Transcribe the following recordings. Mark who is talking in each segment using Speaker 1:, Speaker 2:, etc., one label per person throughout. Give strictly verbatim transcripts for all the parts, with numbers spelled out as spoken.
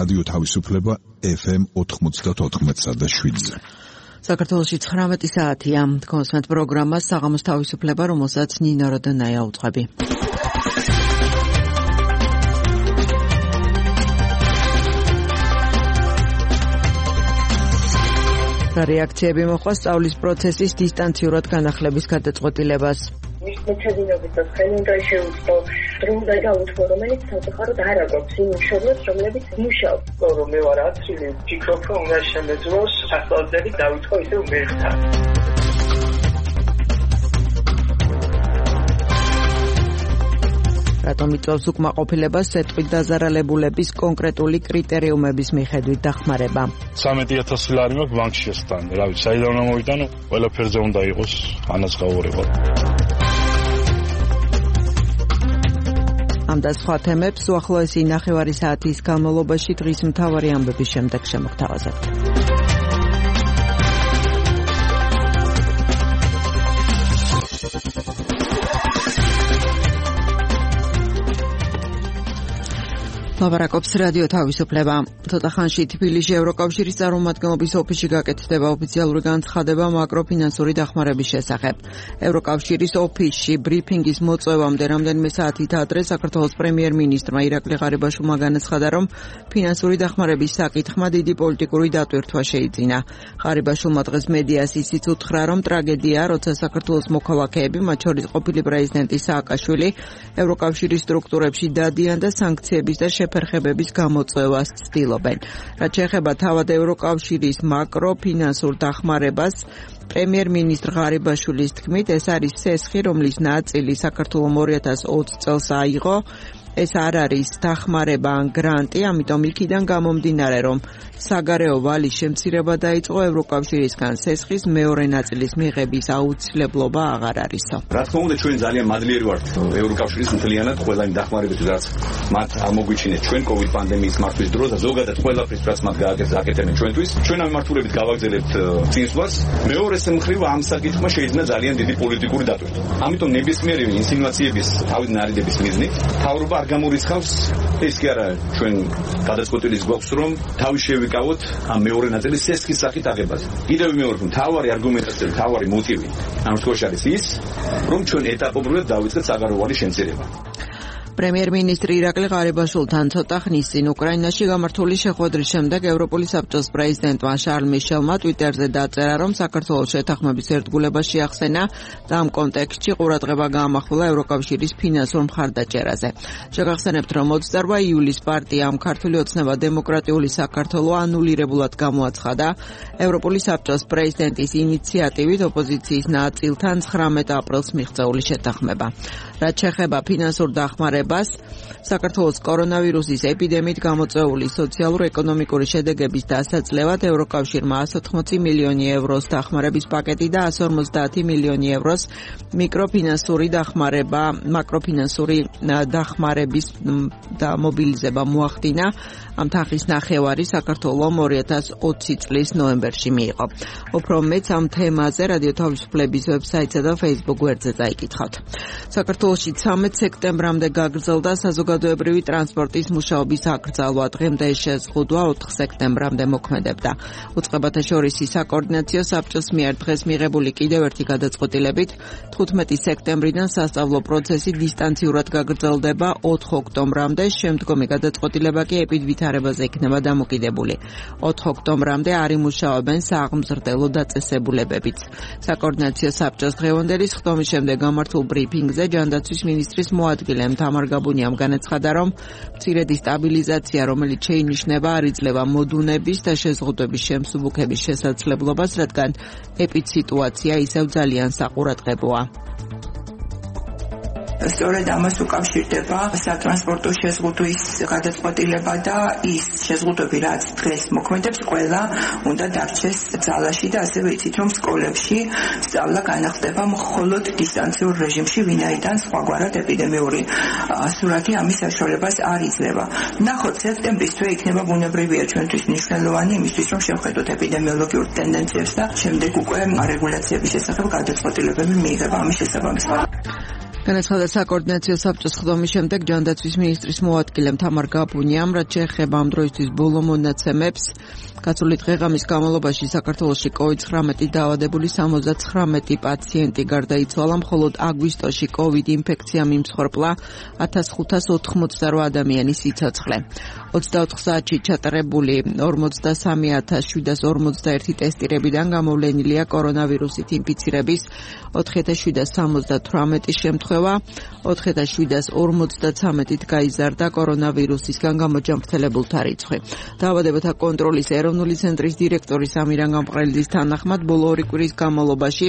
Speaker 1: რადიო თავისუფლება ეფ ემ ოთხმოცდაოთხ და შვიდზე.
Speaker 2: საქართველოში ცხრამეტი საათია. კონსმეთ პროგრამას საღამოს თავისუფლება, რომელსაც ნინო როდონაია უძღვები. რეაქციები მოყვა სწავლის პროცესის დისტანციურად განახლების გადაწყვეტილებას.
Speaker 3: მეცადინობის და ხელი უნდა შეუწყო, დრო უნდა გაუთმო, რომელიც სამწუხაროდ არ აგვაქვს იმ მშობლებს, რომლებიც მუშაობს.
Speaker 4: რომ მე ვარ აცილი, ფიქრობ, რომ უნდა შემეძლოს სასწავლებელი დავითხოვ ისევ მერხთან.
Speaker 2: რატომ იწვევს უკმაყოფილებას სეტყვით დაზარალებულების კონკრეტული კრიტერიუმების მიხედვით დახმარება?
Speaker 5: სამეტი ათასი ლარი მაქვს ბანკში შესტანე. რა ვიცი, საიდან უნდა მოვიტანო, ყველაფერზე უნდა იყოს ანაზღაურება.
Speaker 2: ამ და სხვა თემებს უახლოესი ნახევარი საათის განმავლობაში დღის მთავარი ამბების შემდეგ შემოგთავაზებთ. ლაბარაკობს რადიო თავისუფლება. ცოტა ხანში თბილისში ევროკავშირის წარმომადგენლობის ოფისში გაკეთდება ოფიციალური განცხადება მაკროფინანსური დახმარების შესახებ. ევროკავშირის ოფისში ბრიფინგის მოწვევამდე რამდენიმე საათით ადრე საქართველოს პრემიერ-მინისტრმა ირაკლი ღარიბაშვილმა განაცხადა, რომ ფინანსური დახმარების საკითხმა დიდი პოლიტიკური დატვირთვა შეიძინა. ღარიბაშვილმა დღეს მედიას ისიც უთხრა, რომ ტრაგედია, როცა საქართველოს მოქალაქეები, მათ შორის ყოფილი პრეზიდენტი სააკაშვილი, ევროკავშირის სტრუქტურებში დადიან და სანქციების და შეფერხებების გამოწვევას ცდილობენ. რაც შეეხება თავად ევროკავშირის მაკროფინანსურ დახმარებას, პრემიერ-მინისტრ ღარიბაშვილის თქმით, ეს არის სესხი, რომლის ნაწილი საქართველომ ორი ათას ოცი წელს აიღო. ეს არ არის დახმარება ან გრანტი, ამიტომ იქიდან გამომდინარე, რომ საგარეო ვალის შემცირება დაიწყო ევროკავშირისგან სესხის მეორე ნაწილის მიღების აუცილებლობა აღარ არისო.
Speaker 6: რა თქმა უნდა, ჩვენ ძალიან მადლიერი ვართ ევროკავშირის მთლიანად ყველა იმ დახმარებით, რაც მათ ამოგვიჩინეს ჩვენ კოვიდ პანდემიის მართვის დროს და ზოგადად ყველაფრის, რაც მათ გააკეთებენ ჩვენთვის. ჩვენ ამ მართულებით გავაგზავნებთ წინსვლას. მეორე მხრივ ამ საკითხმა შეიძლება ძალიან დიდი პოლიტიკური დატვირთვა. ამიტომ ნებისმიერი ინსინუაციების თავის ნარიდების მიზნით თავრობა გამორიცხავს ეს კი არა ჩვენ გადაწყვეტილის გვაქვს რომ თავი შევიკავოთ ამ მეორე ნაწილის სესხის სახით აღებაზე. კიდევ მეორე მთავარი არგუმენტაცია, მთავარი მოტივი ამ შემთხვევაში არის ის, რომ ჩვენ ეტაპობრივად დავიწყეთ საგარეო ვალის შემცირება.
Speaker 2: პრემიერ-მინისტრი ირაკლი ღარიბაშვილთან ცოტა ხნის წინ უკრაინაში გამართული შეხვედრის შემდეგ ევროპული საბჭოს პრეზიდენტმა შარლ მიშელმა ტვიტერზე დაწერა, რომ საქართველოს შეთანხმების ერთგულებას შეახსენა და ამ კონტექსტში ყურადღება გაამახვილა ევროკავშირის ფინანსურ მხარდაჭერაზე. შეგახსენებთ, რომ ოცდაოთხ იულის პარტიამ ქართული ოცნება დემოკრატიული საქართველო ანულირებულად გამოაცხადა ევროპული საბჭოს პრეზიდენტის ინიციატივით ოპოზიციის ნაწილთან ცხრამეტ აპრილს მიღწეული შეთანხმება. რაც შეეხება ფინანსურ დახმარებას, საქართველოს კორონავირუსის ეპიდემიით გამოწვეული სოციალურ-ეკონომიკური შედეგების დასაძლევად ევროკავშირმა εκατი ოცდაოთხი მილიონი ევროს დახმარების პაკეტი და εκατი ორმოცდაათი მილიონი ევროს მიკროფინანსური დახმარება, მაკროფინანსური დახმარების და მობილიზება მოახდინა. ამ თანხის ნახევარი საქართველომ ორი ათას ოცი წლის ნოემბერში მიიღო. უფრო მეც ამ თემაზე რადიო თავისუფლების ვებსაიტსა და Facebook გვერდზე წაიკითხავთ. საქართველოში ცამეტ სექტემბრამდე გაგრძელდა საზოგადოებრივი ტრანსპორტის მუშაობის აკრძალვა. დღემდე შეზღუდვა ოთხ სექტემბრამდე მოქმედებდა. უწყებათა შორის საკოორდინაციო საბჭოს მიერ დღეს მიღებული კიდევ ერთი გადაწყვეტილებით თხუთმეტი სექტემბრიდან სასწავლო პროცესი დისტანციურად გაგრძელდება ოთხ ოქტომბრამდე, შემდგომი გადაწყვეტილება კი ეპიდვითარებაზე იქნება დამოკიდებული. ოთხ ოქტომბრამდე არ იმუშაობენ სააღმზრდელო დაწესებულებებიც. საკოორდინაციო საბჭოს დღევანდელი სხდომის შემდეგ გამართულ ბრიფინგზე ჯანდაცვის მინისტრის მოადგილემ თამარ გაბუნიამ განაცხადა, რომ მცირედი სტაბილიზაცია, რომელიც შეინიშნება, არ იძლევა მოდუნების და შეზღუდვების შემსუბუქების შესაძლებლობას, რადგან ეპიდსიტუაცია ისევ ძალიან საყურადღებოა.
Speaker 7: სწორედ ამას უკავშირდება სატრანსპორტო შეზღუდვის გადაწყვეტილება და ის შეზღუდვები, რაც დღეს მოქმედებს, ყველა უნდა დარჩეს ძალაში და ასევე იცით, რომ სკოლებში სწავლა განახდება მხოლოდ დისტანციურ რეჟიმში, ვინაიდან სხვაგვარად ეპიდემიური სურათი ამის საშუალებას არ იძლევა. ნახოთ, სექტემბრის თვე იქნება ბუნებრივია ჩვენთვის მნიშვნელოვანი იმისთვის, რომ შევხედოთ ეპიდემიოლოგიურ ტენდენციებს და შემდეგ უკვე რეგულაციების შესახებ გადაწყვეტილებები მიიღება ამის შესაბამისად.
Speaker 2: განაცხადა საკოორდინაციო საბჭოს ხდომის შემდეგ ჯანდაცვის მინისტრის მოადგილემ თამარ გაბუნიამ, რაც შეეხება ამ დროისთვის ბოლო მონაცემებს, გასული დღე-ღამის განმავლობაში საქართველოში კოვიდ ცხრამეტი დაავადებული სამოცდაცხრამეტი პაციენტი გარდაიცვალა, მხოლოდ აგვისტოში კოვიდ ინფექციამ იმსხვერპლა ათას ხუთას ოთხმოცდაოთხ ადამიანის სიცოცხლე. ოცდაოთხ საათში ჩატარებული ორმოცდასამი ათას შვიდას ორმოცდაერთი ტესტირებიდან გამოვლენილია კორონავირუსით ინფიცირების ოთხი ათას შვიდას სამოცდათვრამეტი შემთხვევა, ოთხი ათას შვიდას ორმოცდაცამეტით გაიზარდა კორონავირუსისგან გამოჯანმრთელებულთა რიცხვი. დაავადებათა კონტროლის ეროვნული ცენტრის დირექტორის ამირან გამყრელიძის თანახმად, ბოლო ორი კვირის განმავლობაში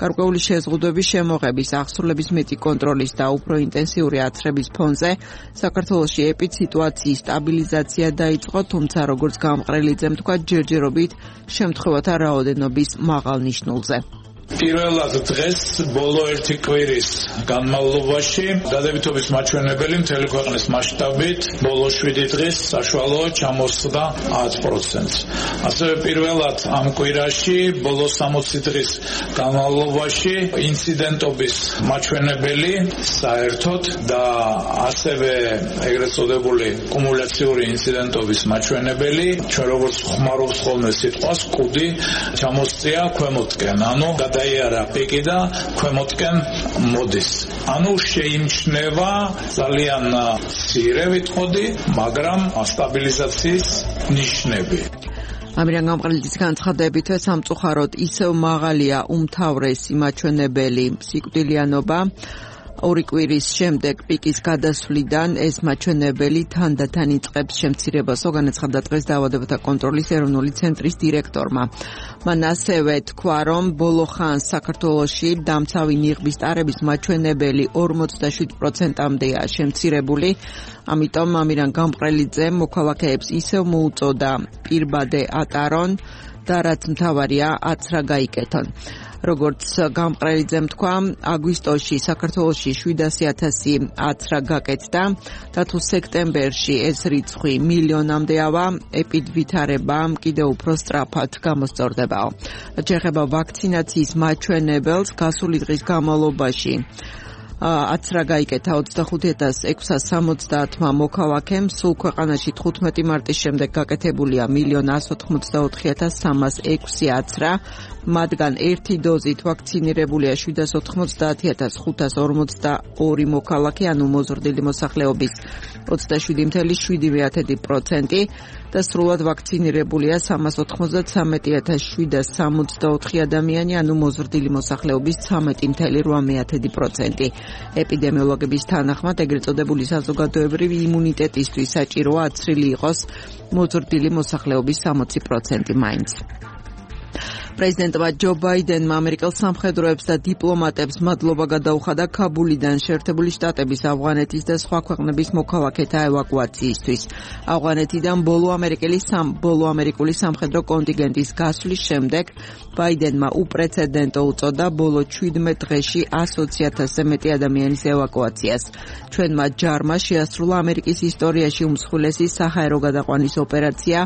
Speaker 2: გარკვეული შეზღუდვების შემოღების, აღსრულების მეტი კონტროლის და უფრო ინტენსიური აცრების ფონზე საქართველოში ეპიდსიტუაციის სტაბილიზაცია დაიწყო, თუმცა როგორც გამყრელიძემ თქვა, ჯერჯერობით შემთხვევათა რაოდენობის მაღალ ნიშნულზე.
Speaker 8: პირველად დღეს ბოლო ერთი კვირის განმავლობაში დადებითობის მაჩვენებელი მთელი ქვეყნის მასშტაბით ბოლო შვიდი დღის საშუალოა ჩამოსხდა ათ პროცენტს. ასევე პირველად ამ კვირაში ბოლო სამოცი დღის განმავლობაში ინციდენტობის მაჩვენებელი საერთოდ და ასევე ეგრეთ წოდებული კუმულაციური ინციდენტობის მაჩვენებელი, ჩვენ როგორც ხმარობს ხოლმე სიტყვას, კუდი ჩამოსწია ქვემოთკენ, ანუ დაიარა პიკი და ქვემოთკენ მოდის. ანუ შეიმჩნევა ძალიან მცირე ვიტყოდი, მაგრამ სტაბილიზაციის ნიშნები.
Speaker 2: ამირან გამყრელიძის განცხადებით, სამწუხაროდ ისევ მაღალია უმთავრესი მაჩვენებელი სიკვდილიანობა. ორი კვირის შემდეგ პიკის გადასვლიდან ეს მაჩვენებელი თანდათან იწყებს შემცირებასო, განაცხადა დღეს დაავადებათა კონტროლის ეროვნული ცენტრის დირექტორმა. მან ასევე თქვა, რომ ბოლო ხანს საქართველოში დამცავი ნიღბის ტარების მაჩვენებელი ორმოცდაშვიდ პროცენტამდეა შემცირებული, ამიტომ ამირან გამყრელიძემ მოქალაქეებს ისევ მოუწოდა პირბადე ატარონ და რაც მთავარია აცრა გაიკეთონ. როგორც გამყრელიძემ თქვა, აგვისტოში საქართველოში შვიდასი ათასი აცრა გაკეთდა და თუ სექტემბერში ეს რიცხვი მილიონამდე ავა, ეპიდვითარება კიდევ უფრო სწრაფად გამოსწორდებაო. რაც შეეხება ვაქცინაციის მაჩვენებელს, გასული დღის განმავლობაში აცრა გაიკეთა ოცდახუთი ათას ექვსას სამოცდაათმა მოქალაქემ, სულ ქვეყანაში თხუთმეტი მარტის შემდეგ გაკეთებულია მილიონ ასი ოცდაოთხი ათას სამას ექვსი აცრა, მათგან ერთი დოზით ვაქცინირებულია შვიდას ოთხმოცდაათი ათას ხუთას ორმოცდაორი მოქალაქე, ანუ მოზრდილი მოსახლეობის ოცდაშვიდი ფاصლე შვიდი პროცენტი და სრულად ვაქცინირებულია სამას ოთხმოცდათრამეტი ათას შვიდას სამოცდაოთხი ადამიანი, ანუ მოზრდილი მოსახლეობის ცხრამეტი ფاصლე რვა პროცენტი. ეპიდემიოლოგების თანახმად, ეგრეთ წოდებული საზოგადოებრივი იმუნიტეტისთვის საჭიროა აცრილი იყოს მოზრდილი მოსახლეობის სამოცი პროცენტი მაინც. პრეზიდენტმა ჯო ბაიდენმა ამერიკელ სამხედროებს და დიპლომატებს მადლობა გადაუხადა ქაბულიდან შეერთებული შტატების, ავღანეთის და სხვა ქვეყნების მოქალაქეთა ევაკუაციისთვის. ავღანეთიდან ბოლო ამერიკელი სამ ბოლო ამერიკული სამხედრო კონტინგენტის გასვლის შემდეგ ბაიდენმა უპრეცედენტო უწოდა ბოლო ჩვიდმეტ დღეში ასოცი ათასზე მეტი ადამიანის ევაკუაციას. ჩვენმა ჯარმა შეასრულა ამერიკის ისტორიაში უმსხვილესი საჰაერო გადაყვანის ოპერაცია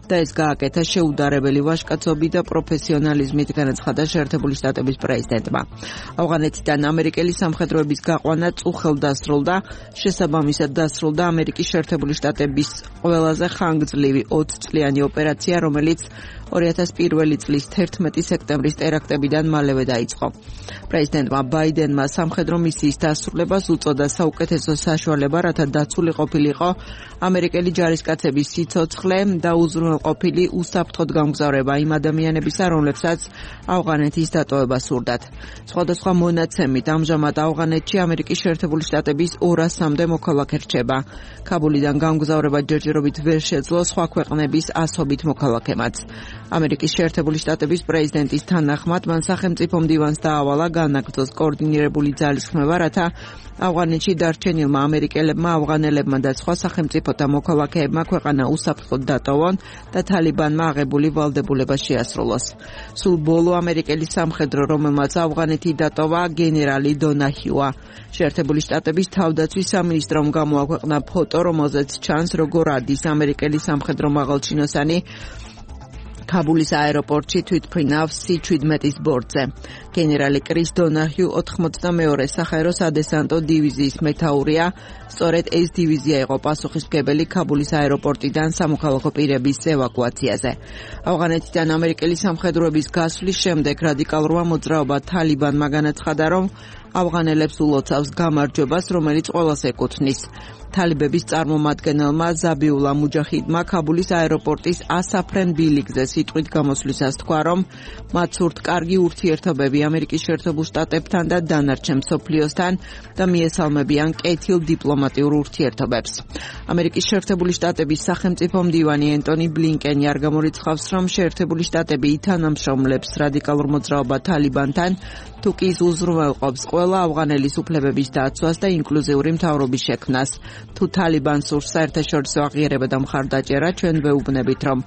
Speaker 2: და ეს გააკეთა შეუდარებელი ვაჟკაცობით და პროფესიონალიზმით, განაცხადა შეერთებული შტატების პრეზიდენტმა. ავღანეთიდან ამერიკელი სამხედროების გაყვანა წუხელ დასრულდა, შესაბამისად დასრულდა ამერიკის შეერთებული შტატების ყველაზე ხანგრძლივი ოცწლიანი ოპერაცია, რომელიც ორი ათას პირველი წლის თერთმეტი სექტემბრის ტერაქტებიდან მალევე დაიწყო. პრეზიდენტმა ბაიდენმა სამხედრო მისიის დასრულებას უწოდა საუკეთესო საშუალება, რათა დაცული ყოფილიყო ამერიკელი ჯარისკაცების სიცოცხლე და უზრუნველყოფილი უსაფრთხოდ გამგზავრება იმ ადამიანებისა, რომლებსაც ავღანეთის დატოვება სურდათ. სხვადასხვა მონაცემით, ამჟამად ავღანეთში ამერიკის შეერთებული შტატების ორასამდე მოქალაქე რჩება. ქაბულიდან გამგზავრება ჯერჯერობით ვერ შეძლო სხვა ქვეყნების ასობით მოქალაქემაც. ამერიკის შეერთებული შტატების პრეზიდენტის თანახმად, მან სახელმწიფო მდივანს დაავალა განაგრძოს კოორდინირებული ძალისხმევა, რათა ავღანეთში დარჩენილმა ამერიკელებმა, ავღანელებმა და სხვა სახელმწიფოთა მოქალაქეებმა ქვეყანა უსაფრთხოდ დატოვონ და თალიბანმა აღებული ვალდებულება შეასრულოს. სულ ბოლო ამერიკელი სამხედრო, რომელმაც ავღანეთი დატოვა, გენერალი დონაჰიუა. შეერთებული შტატების თავდაცვის სამინისტრომ გამოაქვეყნა ფოტო, რომელზეც ჩანს, როგორ ადის ამერიკელი სამხედრო მაღალჩინოსანი ქაბულის აეროპორტში თვითმფრინავს სი შვიდმეტის ბორტზე. გენერალი კრის დონაჰიუ ოთხმოცდამეორე საჰაერო სადესანტო დივიზიის მეთაურია. სწორედ ეს დივიზია იყო პასუხისმგებელი ქაბულის აეროპორტიდან სამოქალაქო პირების ევაკუაციაზე. ავღანეთიდან ამერიკელი სამხედროების გასვლის შემდეგ რადიკალურმა მოძრაობა თალიბანმა განაცხადა, რომ ავღანელებს ულოცავს გამარჯვებას, რომელიც ყველას ეკუთვნის. თალიბების წარმომადგენელმა ზაბიულა მუჯაჰიდმა ქაბულის აეროპორტის ასაფრენ ბილიკზე სიტყვით გამოსვლისას თქვა, რომ მათ სურთ კარგი ურთიერთობები ამერიკის შეერთებულ შტატებთან და დანარჩენ მსოფლიოსთან და მიესალმებიან კეთილ დიპლომატიურ ურთიერთობებს. ამერიკის შეერთებული შტატების სახელმწიფო მდივანი ენტონი ბლინკენი არ გამორიცხავს, რომ შეერთებული შტატები ითანამშრომლებს რადიკალურ მოძრაობა თალიბანთან, თუკი ის უზრუნველყოფს ყველა ავღანელის უფლებების დაცვას და ინკლუზიური მთავრობის შექმნას. თუ თალიბანს სურს საერთაშორისო აღიარება და მხარდაჭერა, ჩვენ ვეუბნებით, რომ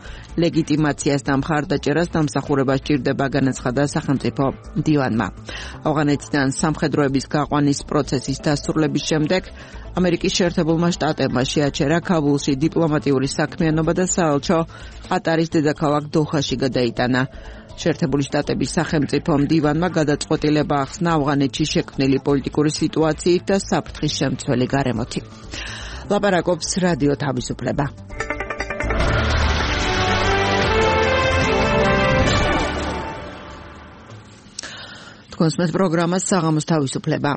Speaker 2: ლეგიტიმაციას და მხარდაჭერას დამსახურება სჭირდება, განაცხადა სახელმწიფო მდივანმა. ავღანეთიდან სამხედროების გაყვანის პროცესის დასრულების შემდეგ ამერიკის შეერთებულმა შტატებმა შეაჩერა ქაბულში დიპლომატიური საქმიანობა და საელჩო ყატარის დედაქალაქ დოჰაში გადაიტანა. შეერთებული შტატების სახელმწიფო მდივანმა გადაწყვეტილება ახსნა ავღანეთში შექმნილი პოლიტიკური სიტუაციით და საფრთხის შემცველი გარემოთი. ლაპარაკობს რადიო თავისუფლება. თქვენს მე პროგრამას საღამოს თავისუფლება.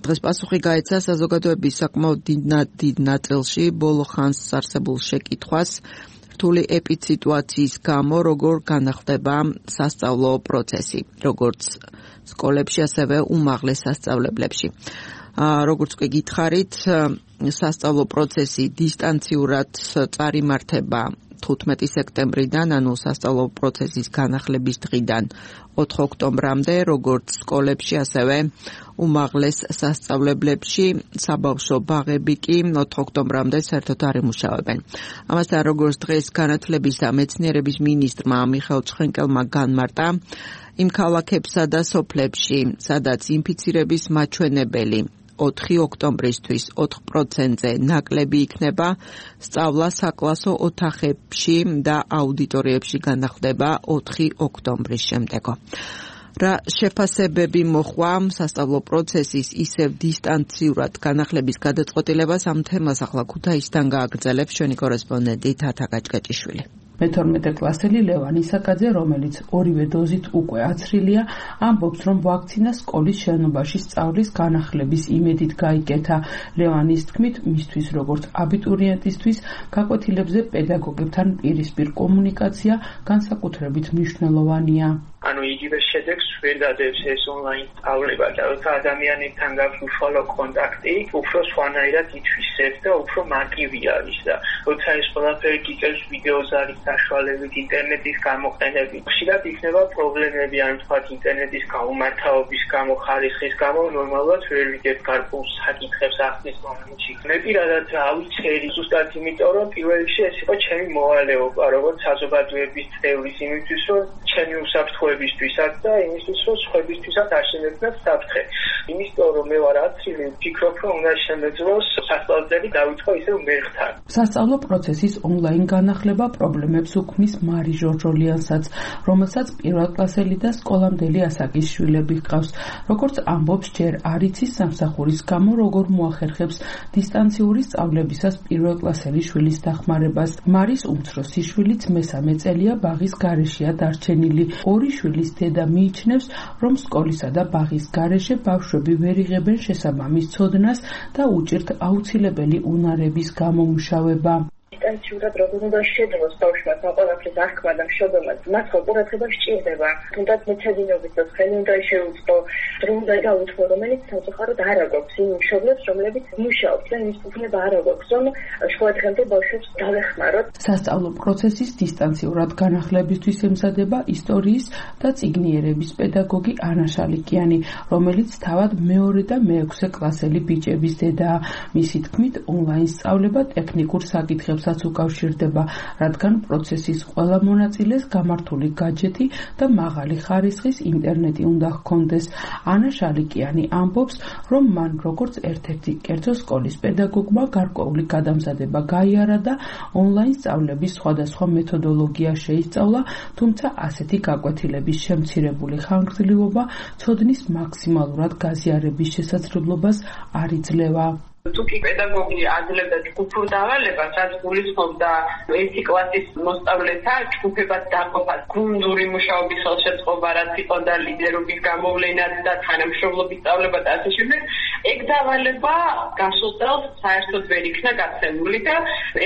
Speaker 2: დღეს პასუხი გაეცა საზოგადოების საკმაოდ დიდ ნაწილში ბოლო ხანს არსებულ შეკითხვას, რთული ეპიდსიტუაციის გამო როგორ განახდება სასწავლო პროცესი, როგორც სკოლებში, ასევე უმაღლეს სასწავლებლებში. როგორც კი გითხარით, სასწავლო პროცესი დისტანციურად წარიმართება თხუთმეტი სექტემბრიდან, ანუ სასწავლო პროცესის განახლების დღიდან ოთხ ოქტომბრამდე, როგორც სკოლებში, ასევე უმაღლეს სასწავლებლებში, საბავშვო ბაღები კი ოთხ ოქტომბრამდე საერთოდ არ იმუშავებენ. ამასთან, როგორც დღეს განათლების და მეცნიერების მინისტრმა მიხეილ ცხენკელმა განმარტა, იმ ქალაქებსა და სოფლებში, სადაც ინფიცირების მაჩვენებელი ოთხი ოქტომბრისთვის ოთხ პროცენტზე ნაკლები იქნება, სწავლა საკლასო ოთახებში და აუდიტორიებში განახდება ოთხი ოქტომბრის შემდეგო. რა შეფასებები მოხვა სასწავლო პროცესის ისევ დისტანციურად განახლების გადაწყვეტილებას, ამ თემას ახლა ქუთაისიდან გააგრძელებს ჩვენი კორესპონდენტი თათა გაჭკაჭიშვილი.
Speaker 9: მეთორმეტე კლასელი ლევან ისაკაძე, რომელიც ორივე დოზით უკვე აცრილია, ამბობს, რომ ვაქცინა სკოლის შენობაში სწავლის განახლების იმედით გაიკეთა. ლევანის თქმით, მისთვის როგორც აბიტურიენტისთვის გაკვეთილებზე პედაგოგებთან პირისპირ კომუნიკაცია განსაკუთრებით მნიშვნელოვანია.
Speaker 4: ანუ იგივე შედეგს ვერ დადებს ეს ონლაინ სწავლება და როცა ადამიანებთან გაქვს უშუალო კონტაქტი, უფრო სხვანაირად ითვისებს და უფრო მარტივი არის და როცა ეს ყველაფერი გიწევს ვიდეოზე არის საშუალებით ინტერნეტის გამოყენებით. ხშირად იქნება პრობლემები, ან თქვათ ინტერნეტის გაუმართავობის გამო, ხარისხის გამო, ნორმალურად ვერ ვიგებ გარკვეულ საკითხებს ახლის მომენტში. მე პირადად ავიცერი ზუსტად იმიტომ, რომ პირველ რიგში ეს იყო ჩემი მოვალეობა, როგორც საზოგადოების წევრის იმისთვის, რომ ჩემი უსაფრთხოებისთვისაც და იმისთვის, რომ სხვებისთვისაც არ შემეცნათ საფრთხე. იმიტომ, რომ მე ვარ აცრილი, ვფიქრობ, რომ უნდა შემეძლოს სასწავლებელი დავითხოვ ისევ მერხთან.
Speaker 9: სასწავლო პროცესის ონლაინ განახლება პრობლემებს უქმნის მარი ჟორჟოლიანსაც, რომელსაც პირველკლასელი და სკოლამდელი ასაკის შვილები ჰყავს. როგორც ამბობს, ჯერ არ იცის სამსახურის გამო როგორ მოახერხებს დისტანციური სწავლებისას პირველკლასელი შვილის დახმარებას. მარის უმცროსი შვილიც მესამე წელია ბაღის გარეშეა დარჩენილი. ორი შვილის დედა მიიჩნევს, რომ სკოლისა და ბაღის გარეშე ბავშვები ვერ იღებენ შესაბამის ცოდნას და უჭირთ აუცილებელი უნარების გამომუშავება.
Speaker 3: დისტანციურად როგორ უნდა შეძლოს ბავშვმა ყველაფრის აღქმა და მშობელმაც, მას ყურადღება სჭირდება. თუნდაც მეცადინეობის და ხელი უნდა შეუწყო, დრო უნდა გაუთხოვო, რომელიც სამწუხაროდ არ აგვაქვს იმ მშობლებს, რომლებიც მუშაობს და იმის უფლება არ აგვაქვს, რომ შუა დღემდე ბავშვებს დავეხმაროთ.
Speaker 9: სასწავლო პროცესის დისტანციურად განახლებისთვის ემზადება ისტორიის და წიგნიერების პედაგოგი ანა შალიკიანი, რომელიც თავად მეორე და მეექვსე კლასელი ბიჭების დედაა. მისი თქმით, ონლაინ სწავლება ტექნიკურ საკითხებს პროცესებსაც უკავშირდება, რადგან პროცესის ყველა მონაწილეს გამართული გაჯეტი და მაღალი ხარისხის ინტერნეტი უნდა ჰქონდეს. ანა შალიკიანი ამბობს, რომ მან როგორც ერთ-ერთი კერძო სკოლის პედაგოგმა გარკვეული გადამზადება გაიარა და ონლაინ სწავლების სხვადასხვა მეთოდოლოგია შეისწავლა, თუმცა ასეთი გაკვეთილების შემცირებული ხანგრძლივობა ცოდნის მაქსიმალურად გაზიარების შესაძლებლობას არ იძლევა.
Speaker 10: თუკი პედაგოგი აძლევდა ჯგუფურ დავალებას, რაც გულისხმობდა ერთი კლასის მოსწავლეთა ჯგუფებად დაყოფას, გუნდური მუშაობის ხელშეწყობა, რაც იყო და ლიდერობის გამოვლენაც და თანამშრომლობის სწავლება და ასე შემდეგ, ეგ დავალება გასულ წელს საერთოდ ვერ იქნა გაცემული და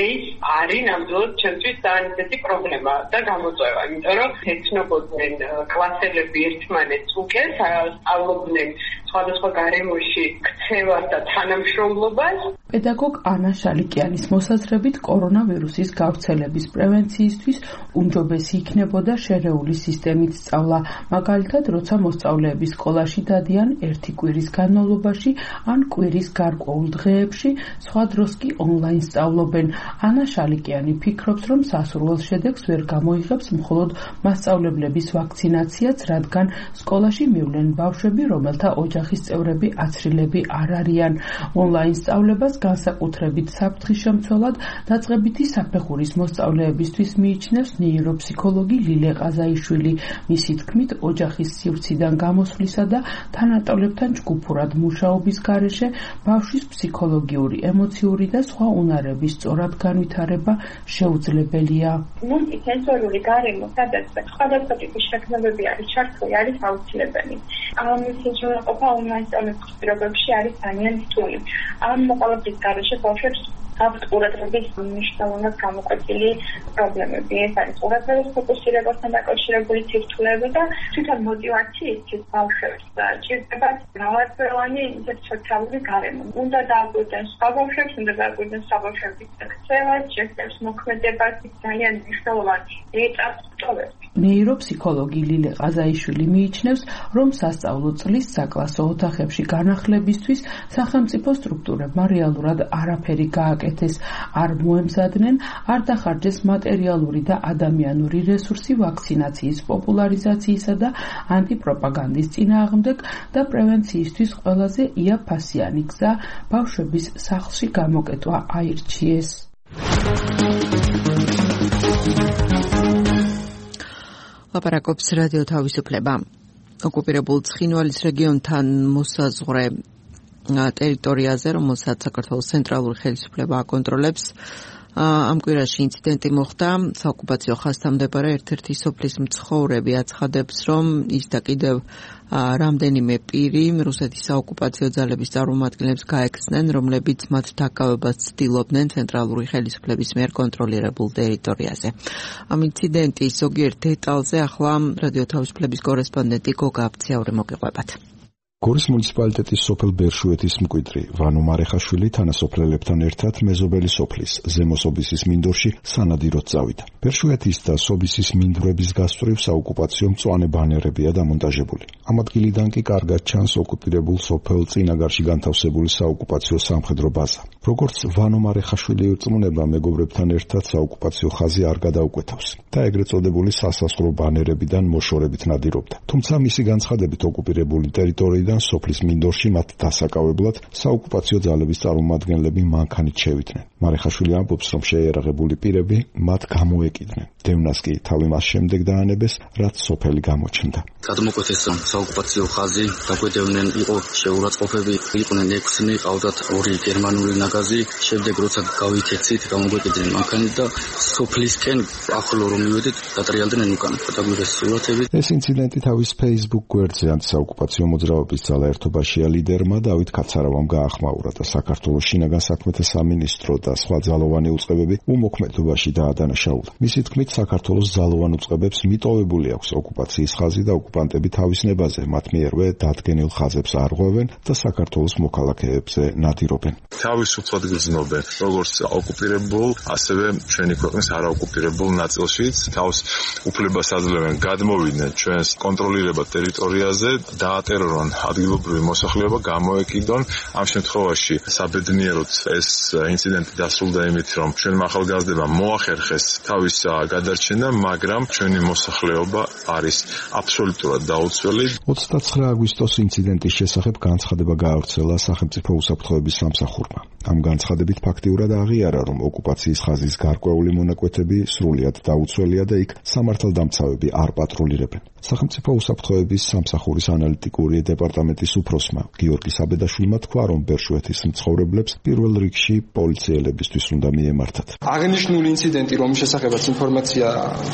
Speaker 10: ეს არის ნამდვილად ჩემთვის ძალიან ისეთი პრობლემა და გამოწვევა, იმიტომ რომ ეცნობოდნენ კლასელები ერთმანეთს უკეთ, სწავლობდნენ სხვადასხვა გარემოში ქცევას და თანამშრომლობას.
Speaker 9: პედაგოგ ანა შალიკიანის მოსაზრებით კორონავირუსის გავრცელების პრევენციისთვის უმჯობესი იქნებოდა შერეული სისტემით სწავლა, მაგალითად, როცა მოსწავლეები სკოლაში დადიან ერთი კვირის განმავლობაში ან კვირის გარკვეულ დღეებში, სხვა დროს კი ონლაინ სწავლობენ. ანა შალიკიანი ფიქრობს, რომ სასურველ შედეგს ვერ გამოიღებს მხოლოდ მასწავლებლების ვაქცინაციაც, რადგან სკოლაში მივლენ ბავშვები, რომელთა ოჯახის წევრები აცრილები არ არიან. ონლაინ სწავლებას განსაკუთრებით საფრთხის-შემცველად დაწყებითი საფეხურის მოსწავლეებისთვის მიიჩნევს ნეიროფსიქოლოგი ლილე ყაზაიშვილი. მისი თქმით, ოჯახის სივრციდან გამოსვლისა და თანატოლებთან ჯგუფურად მუშაობის გარეშე ბავშვის ფსიქოლოგიური, ემოციური და სხვა უნარების სწორად განვითარება შეუძლებელია.
Speaker 3: მულტისენსორული გარემო, სადაც სხვადასხვა ტიპის შექმნებები არის ჩართული, არის აუცილებელი. ამის შეუძლებლობა ონლაინ სწავლების პირობებში არის ძალიან რთული. ამ მოყოლების გარეშე ბავშვებს აქვთ ყურადღების მნიშვნელოვნად გამოკვეთილი პრობლემები. ეს არის ყურადღების ფოკუსირებასთან დაკავშირებული ცირთულები და თვითონ მოტივაციის ბავშვებს ჭირდება მრავალფეროვანი სოციალური გარემო. უნდა დააკვირდნენ სხვა ბავშვებს, უნდა დააკვირდნენ სხვა ბავშვების ქცევას, შეხვედრებს, მოქმედებას, ძალიან მნიშვნელოვანი ეტაპს ტოვებს.
Speaker 9: ნეიროფსიქოლოგი ლილე ყაზაიშვილი მიიჩნევს, რომ სასწავლო წლის საკლასო ოთახებში განახლებისთვის სახელმწიფო სტრუქტურებმა რეალურად არაფერი გააკეთეს, არ მოემზადნენ, არ დახარჯეს მატერიალური და ადამიანური რესურსი ვაქცინაციის პოპულარიზაციისა და ანტიპროპაგანდის წინააღმდეგ და პრევენციისთვის ყველაზე იაფასიანი გზა ბავშვების სახლში გამოკეტვა აირჩიეს.
Speaker 2: ლაპარაკობს რადიო თავისუფლება. ოკუპირებულ ცხინვალის რეგიონთან მოსაზღვრე ტერიტორიაზე, რომელსაც საქართველოს ცენტრალური ხელისუფლება აკონტროლებს. ამ კვირაში ინციდენტი მოხდა. საოკუპაციო ხაზთან მდებარე ერთ-ერთი სოფლის მცხოვრები აცხადებს, რომ ის და კიდევ რამდენიმე პირი რუსეთის საოკუპაციო ძალების წარმომადგენლებს გაექცნენ, რომლებიც მათ დაკავებას ცდილობდნენ ცენტრალური ხელისუფლების მიერ კონტროლირებულ ტერიტორიაზე. ამ ინციდენტის ზოგიერთ დეტალზე ახლა რადიო თავისუფლების კორესპონდენტი გოგა აბციაური მოგიყვებათ.
Speaker 1: გორის მუნიციპალიტეტის სოფელ ბერშუეთის მკვიდრი ვანო მარეხაშვილი თანასოფლელებთან ერთად მეზობელი სოფლის ზემო სობისის მინდორში სანადიროდ წავიდა. ბერშუეთის და სობისის მინდვრების გასწვრივ საოკუპაციო მწვანე ბანერებია დამონტაჟებული. ამ ადგილიდან კი კარგად ჩანს ოკუპირებულ სოფელ წინაგარში განთავსებული საოკუპაციო სამხედრო ბაზა. როგორც ვანო მარეხაშვილი ირწმუნება, მეგობრებთან ერთად საოკუპაციო ხაზი არ გადაუკვეთავს და ეგრეთ წოდებული სასასხრო ბანერებიდან მოშორებით ნადირობდა. თუმცა მისი განცხადებით ოკუპირებული ტერიტორიიდან სოფლის მინდორში მათ დასაკავებლად საოკუპაციო ძალების წარმომადგენლები მანქანით შევიდნენ. მარეხაშვილი ამბობს, რომ შეიარაღებული პირები მათ გამოეკიდნენ. დევნას კი თავი მას შემდეგ დაანებეს, რაც სოფელი გამოჩნდა.
Speaker 11: გადმოკვეთეს, რომ საოკუპაციო ხაზი დაგვედევნენ, იყო შეურაცხყოფები, იყვნენ ექვსი, ყავდათ ორი გერმანული ნაგაზი. შემდეგ როცა გავითეცით, გამოგვეკიდნენ მანქანით და სოფლისკენ ახლო რომ მივედით, დატრიალდნენ უკან. დაგვიდეს სურათები.
Speaker 1: ეს ინციდენტი თავის Facebook გვერდზე ანტისაოკუპაციო მოძრაობის ძალა ერთობაშია ლიდერმა დავით კაცარავამ გაახმაურა და საქართველოს შინაგან საქმეთა სამინისტრო და სხვა ძალოვანი უწყებები უმოქმედობაში დაადანაშაულა. მისი თქმით, საქართველოს ძალოვან უწყებებს მიტოვებული აქვს ოკუპაციის ხაზი და ოკუპანტები თავის ნებაზე მათ მიერვე დადგენილ ხაზებს არღვევენ და საქართველოს მოქალაქეებზე ნადირობენ.
Speaker 12: თავისუფლად გრძნობენ, როგორც ოკუპირებულ, ასევე ჩვენი ქვეყნის არაოკუპირებულ ნაწილშიც თავს უფლებას აძლევენ გადმოვიდნენ ჩვენს კონტროლირებად ტერიტორიაზე, დაატერორონ ადგილობრივი მოსახლეობა გამოეკიდონ. ამ შემთხვევაში საბედნიეროდ ეს ინციდენტი დასრულდა იმით, რომ ჩვენმა ახალგაზრდებამ მოახერხეს თავის გადარჩენა, მაგრამ ჩვენი მოსახლეობა არის აბსოლუტურად დაუცველი.
Speaker 1: ოცდაცხრა აგვისტოს ინციდენტის შესახებ განცხადება გაავრცელა სახელმწიფო უსაფრთხოების სამსახურმა. ამ განცხადებით ფაქტიურად აღიარა, რომ ოკუპაციის ხაზის გარკვეული მონაკვეთები სრულიად დაუცველია და იქ სამართალდამცავები არ პატრულირებენ. სახელმწიფო უსაფრთხოების სამსახურის ანალიტიკური დეპარტამენტის უფროსმა გიორგი საბედაშვილმა თქვა, რომ ბერშუეთის მცხოვრებლებს პირველ რიგში პოლიციელებისთვის უნდა მიემართათ.
Speaker 13: აღნიშნული ინციდენტი, რომლის შესახებაც ინფორმაცია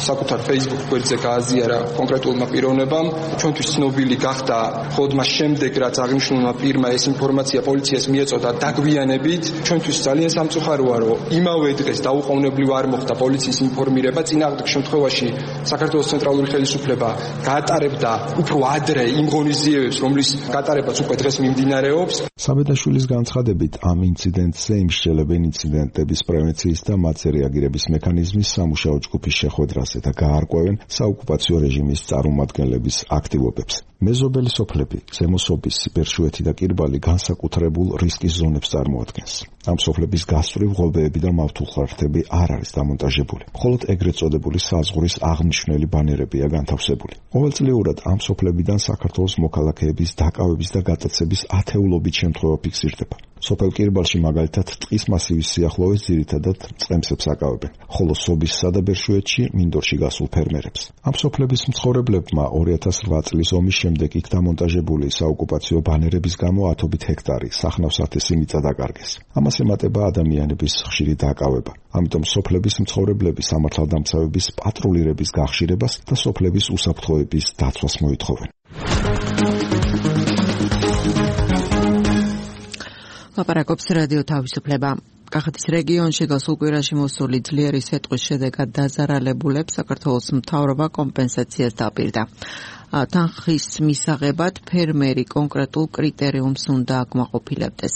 Speaker 13: საკუთარ Facebook გვერდზე გააზიარა კონკრეტულმა პიროვნებამ, ჩვენთვის ცნობილი გახდა მხოლოდ მას შემდეგ, რაც აღნიშნულმა პირმა ეს ინფორმაცია პოლიციას მიეწოდა დაგვიანებით. ჩვენთვის ძალიან სამწუხაროა, რომ იმავე დღეს დაუყოვნებლივ არ მოხდა პოლიციის ინფორმირება. წინააღმდეგ შემთხვევაში საქართველოს ცენტრალური ხელისუფლება გაატარებდა უფრო ადრე იმ ღონისძიებებს, რომლის გატარებაც უკვე დღეს მიმდინარეობს.
Speaker 1: საბედაშვილის განცხადებით, ამ ინციდენტზე იმსჯელებენ ინციდენტების პრევენციის და მათზე რეაგირების მექანიზმის სამუშაო ჯგუფის შეხვედრაზე და გაარკვევენ საოკუპაციო რეჟიმის წარმომადგენლების აქტივობებს. მეზობელი სოფლები, ზემო სობისი, ბერშუეთი და კირბალი განსაკუთრებულ რისკის ზონებს წარმოადგენს. ამ სოფლების გასწვრივ ღობეები და მავთულხარხტები არ არის დამონტაჟებული. მხოლოდ ეგრეთ წოდებული საზღვრის აღნიშნული ბანერებია განთავსებული. ყოველწლიურად ამ სოფლებიდან საქართველოს მოქალაქეების დაკავების და გატაცების ათეულობით შემთხვევა ფიქსირდება. სოფელ კირბალში მაგალითად ტყის მასივის სიახლოვეს ძირითადად წყემსებს აკავებენ, ხოლო სობისსა და ბერშუეთში მინდორში გასულ ფერმერებს. ამ სოფლების მცხოვრებლებმა ორი ათას რვა წლის ომის შემდეგ იქ დამონტაჟებული საოკუპაციო ბანერების გამო ათობით ჰექტარი სახნავს ათესი მიწა დაკარგეს. ამას ემატება ადამიანების ხშირი დაკავება. ამიტომ სოფლების მცხოვრებლები სამართალდამცავების პატრულირების გახშირებას და სოფლების უსაფრთხოების დაცვას მოითხოვენ.
Speaker 2: ლაპარაკობს რადიო თავისუფლება. კახეთის რეგიონში გასულ კვირაში მოსული ძლიერი სიტყვის შედეგად დაზარალებულებს საქართველოს მთავრობა კომპენსაციას დაპირდა. თანხის მისაღებად ფერმერი კონკრეტულ კრიტერიუმს უნდა აკმაყოფილებდეს.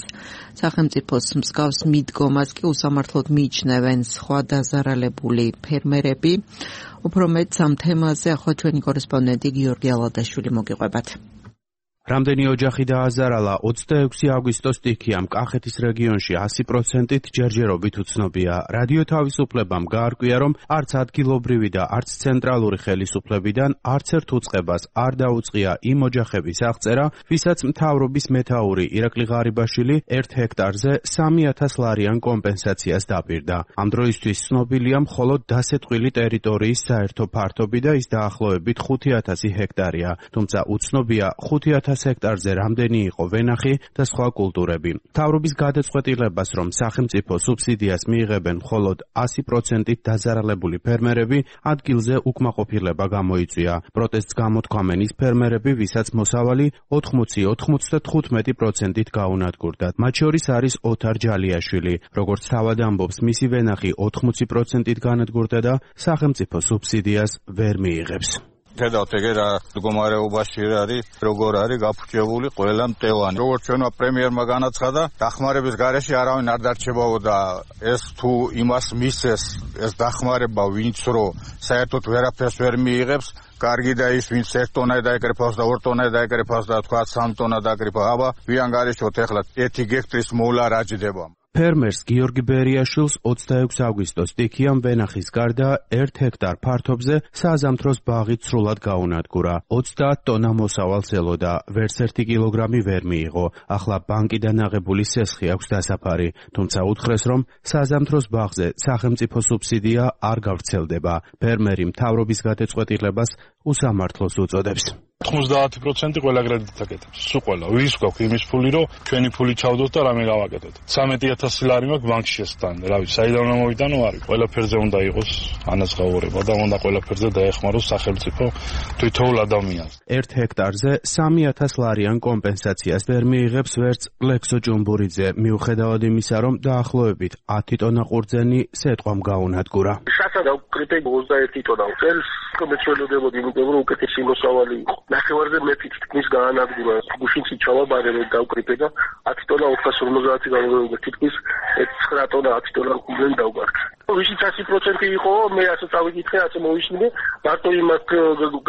Speaker 2: სახელმწიფოს მსგავს მიდგომას კი უსამართლოდ მიიჩნევენ სხვა დაზარალებული ფერმერები. უფრო მეტს ამ თემაზე ახლა ჩვენი კორესპონდენტი გიორგი ალადაშვილი მოგიყვებათ.
Speaker 14: რამდენი ოჯახი დააზარალა ოცდაექვსი აგვისტოს სტიქიამ კახეთის რეგიონში ასი პროცენტით ჯერჯერობით უცნობია. რადიო თავისუფლებამ გაარკვია, რომ არც ადგილობრივი და არც ცენტრალური ხელისუფლებიდან არც ერთ უწყებას არ დაუწყია იმ ოჯახების აღწერა, ვისაც მთავრობის მეთაური ირაკლი ღარიბაშვილი ერთ ჰექტარზე სამი ათას ლარიან კომპენსაციას დაპირდა. ამ დროისთვის ცნობილია მხოლოდ დასეტყვილი ტერიტორიის საერთო ფართობი და ის დაახლოებით ხუთი ათასი ჰექტარია, თუმცა უცნობია ხუთი ათას ჰექტარზე რამდენი იყო ვენახი და სხვა კულტურები. მთავრობის გადაწყვეტილებას, რომ სახელმწიფო სუბსიდიას მიიღებენ მხოლოდ ასი პროცენტით დაზარალებული ფერმერები, ადგილზე უკმაყოფილება გამოიწვია. პროტესტს გამოთქვამენ ის ფერმერები, ვისაც მოსავალი ოთხმოცი ოცდათხუთმეტი პროცენტით გაუნადგურდათ. მათ შორის არის ოთარ ჯალიაშვილი. როგორც თავად ამბობს, მისი ვენახი ოთხმოცი პროცენტით განადგურდა და სახელმწიფო სუბსიდიას ვერ მიიღებს.
Speaker 15: Ხედავთ ეგ რა მდგომარეობაში არის, როგორ არის გაფუჭებული ყველა მტევანი. როგორც ჩვენმა პრემიერმა განაცხადა, დახმარების გარეშე არავინ არ დარჩებაო და ეს თუ იმას მისცეს, ეს დახმარება ვინც რო საერთოდ ვერაფერს ვერ მიიღებს, კარგი და ის ვინც ერთ ტონა დაეკრიფავს და ორ ტონა დაეკრიფავს და თქვა სამი ტონა დაეკრიფა, აბა ვიან გარეშოთ ახლა ერთი გექტრის მოვლა რა ჯდება.
Speaker 14: ფერმერს გიორგი ბერიაშვილს ოცდაექვსი აგვისტოს სტიქიამ ვენახის გარდა ერთ ჰექტარ ფართობზე საზამთროს ბაღი ცრულად გაუნადგურა. ოცდაათ ტონა მოსავალს ელოდა, ვერც ერთი კილოგრამი ვერ მიიღო. ახლა ბანკიდან აღებული სესხი აქვს დასაფარი, თუმცა უთხრეს, რომ საზამთროს ბაღზე სახელმწიფო სუბსიდია არ გავრცელდება. ფერმერი მთავრობის გადაწყვეტილებას უსამართლოს უწოდებს.
Speaker 5: ოცდაათი პროცენტი ყველა კრედიტს აკეთებს. სულ ყველა. ვის გვაქვს იმის ფული, რომ ჩვენი ფული ჩავდოთ და რამე გავაკეთოთ. ცამეტი ათასი ლარი მაქვს ბანკში შესტანდა. რავი, საიდან უნდა მოვიტანო არის. ყველაფერზე უნდა იყოს ანაზღაურება და უნდა ყველაფერზე დაეხმაროს სახელმწიფო თვითოულ ადამიანს.
Speaker 14: ერთ ჰექტარზე სამი ათას ლარიან კომპენსაციას ვერ მიიღებს ვერც ლექსო ჭუმბურიძე, მიუხედავად იმისა, რომ დაახლოებით ათი ტონა ყურძენი სეტყვამ გაუნადგურა.
Speaker 16: შასა და უკრიტები ოცდაერთი ტონა წელს მეცველოდებოდი, იმიტომ რომ უკეთესი მოსავალი იყო. ნახევარზე მეტით თქმის გაანადგურა. გუშინში ჩავაბარე და დავკრიფე და ათი ტონა ოთხას ორმოცდაათი გამოვიდა თითქმის ცხრა ტონა ათი ტონა ყურძენი დავგარქე. ვისიც ასი პროცენტი იყო, მე ასე წავიკითხე, ასე მოვისმინე, მარტო იმას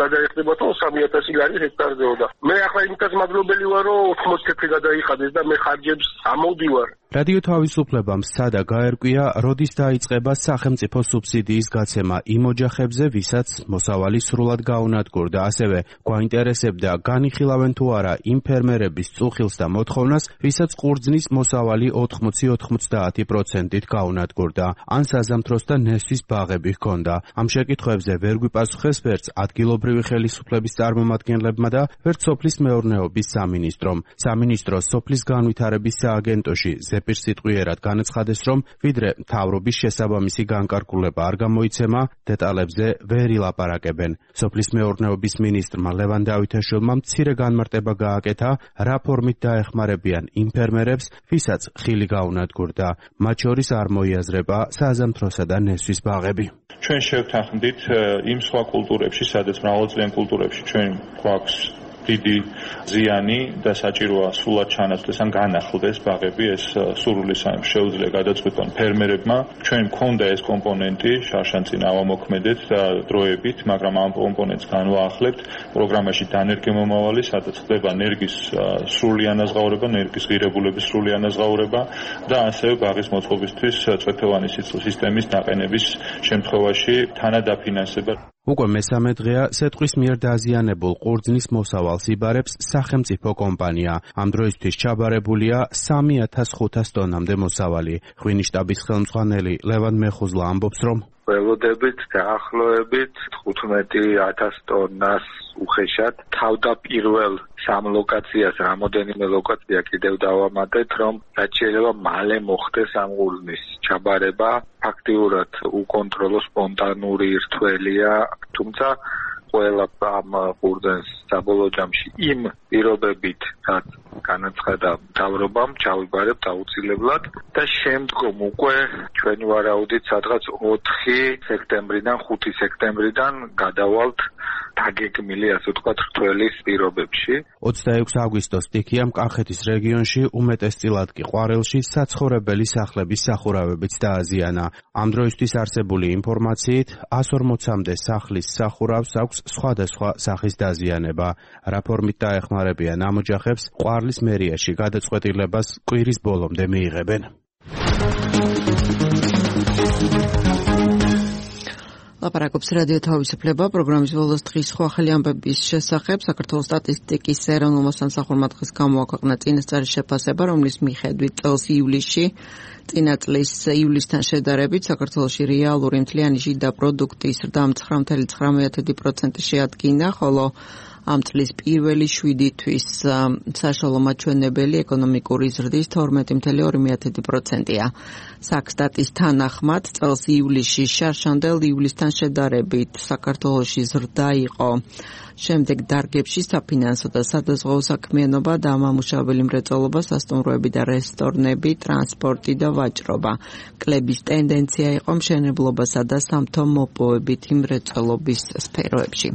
Speaker 16: გადაეხდება, რომ სამი ათასი ლარი ჰექტარზეოდა. მე ახლა იმითაც მადლობელი ვარ, რომ ოთხმოცი თეთრი გადაიხადეს და მე ხარჯებს ამოვდივარ.
Speaker 14: რადიო თავისუფლებამ სცადა გაერკვია, როდის დაიწყება სახელმწიფო სუბსიდიის გაცემა იმ ოჯახებზე, ვისაც მოსავალი სრულად გაუნადგურდა. ასევე გვაინტერესებდა, განიხილავენ თუ არა იმ ფერმერების წუხილს და მოთხოვნას, ვისაც ყურძნის მოსავალი ოცდაათი ოცდაათი პროცენტით გაუნადგურდა, ან საზამთროს და ნესვის ბაღები ჰქონდა. ამ შეკითხვებზე ვერ გვიპასუხეს ვერც ადგილობრივი ხელისუფლების წარმომადგენლებმა და ვერც სოფლის მეურნეობის სამინისტრომ. სამინისტრო სოფლის განვითარების სააგენტოში ზეპირსიტყვიერად განაცხადეს, რომ ვიდრე მთავრობის შესაბამისი განკარგულება არ გამოიცემა, დეტალებზე ვერ ილაპარაკებენ. სოფლის მეურნეობის მინისტრმა ლევან დავითაშვილმა მცირე განმარტება გააკეთა, რა ფორმით დაეხმარებიან იმ ფერმერებს, ვისაც ხილი გაუნადგურდა. მათ შორის არ მოიაზრება საზამთროსა და ნესვის ბაღები.
Speaker 17: ჩვენ შევთანხმდით იმ სხვა კულტურებში, სადაც მრავალწლიან კულტურებში ჩვენ გვაქვს დიდი ზიანი და საჭიროა სულად ჩანაცვლდეს ან განახლდეს ბაღები, ეს სურვილის შეუძლია გადაწყვეტონ ფერმერებმა. ჩვენ მქონდა ეს კომპონენტი შარშანწინ ავამოქმედეთ და დროებით, მაგრამ ამ კომპონენტს განვაახლებთ პროგრამაში დანერგი მომავალი, სადაც ხდება ნერგის სრული ანაზღაურება, ნერგის ღირებულების სრული ანაზღაურება და ასევე ბაღის მოწყობისთვის წვეთოვანი სისტემის დაყენების შემთხვევაში თანადაფინანსება.
Speaker 14: უკვე მესამე დღეა სეტყვის მიერ დაზიანებულ ყურძნის მოსავალს იბარებს სახელმწიფო კომპანია. ამ დროისთვის ჩაბარებულია სამი ათას ხუთას ტონამდე მოსავალი. ღვინის შტაბის ხელმძღვანელი ლევან მეხუზლა ამბობს, რომ
Speaker 18: ველოდებით დაახლოებით თხუთმეტი ათას ტონას უხეშად თავდაპირველ სამ ლოკაციას, რამოდენიმე ლოკაცია კიდევ დავამატეთ, რომ რაც შეიძლება მალე მოხდეს ამ ყურძნის ჩაბარება. ფაქტიურად უკონტროლო სპონტანური რთველია, თუმცა ყველა ამ ყურძნის საბოლოო ჯამში იმ პირობებით, რაც განაცხადა მთავრობამ, ჩავიბარებთ აუცილებლად და შემდგომ უკვე ჩვენი ვარაუდით სადღაც ოთხი სექტემბრიდან ხუთი სექტემბრიდან გადავალთ დაგეგმილი, ასე ვთქვათ, რთველის პირობებში.
Speaker 14: ოცდაექვსი აგვისტოს სტიქიამ კახეთის რეგიონში, უმეტესწილად კი ყვარელში საცხოვრებელი სახლების სახურავებიც დააზიანა. ამ დროისთვის არსებული ინფორმაციით εκατს ორმოცამდე სახლის სახურავს აქვს სხვადასხვა სახის დაზიანება. რა ფორმით დაეხმარებიან ამ ოჯახებს, ყვარლის მერიაში გადაწყვეტილებას კვირის ბოლომდე მიიღებენ.
Speaker 2: ლაპარაკობს რადიო თავისუფლება, პროგრამის ბოლოს დღის სხვა ახალი ამბების შესახებ. საქართველოს სტატისტიკის ეროვნულმა სამსახურმა დღეს გამოაქვეყნა წინასწარი შეფასება, რომლის მიხედვით წელს ივლისში წინა წლის ივლისთან შედარებით საქართველოში რეალური მთლიანი შიდა პროდუქტის ზრდა ცხრა virgulă ცხრამეტი პროცენტი შეადგინა, ხოლო ამ წლის პირველი შვიდი თვის საშუალო მაჩვენებელი ეკონომიკური ზრდის თორმეტი virgulă ორი პროცენტია. საქსტატის თანახმად წელს ივლისში შარშანდელ ივლისთან შედარებით საქართველოში ზრდა იყო შემდეგ დარგებში საფინანსო და სადაზღვეო საქმიანობა და ამამუშავებელი მრეწველობა, სასტუმროები და რესტორნები, ტრანსპორტი და ვაჭრობა. კლების ტენდენცია იყო მშენებლობასა და სამთო-მოპოვებითი მრეწველობის სფეროებში.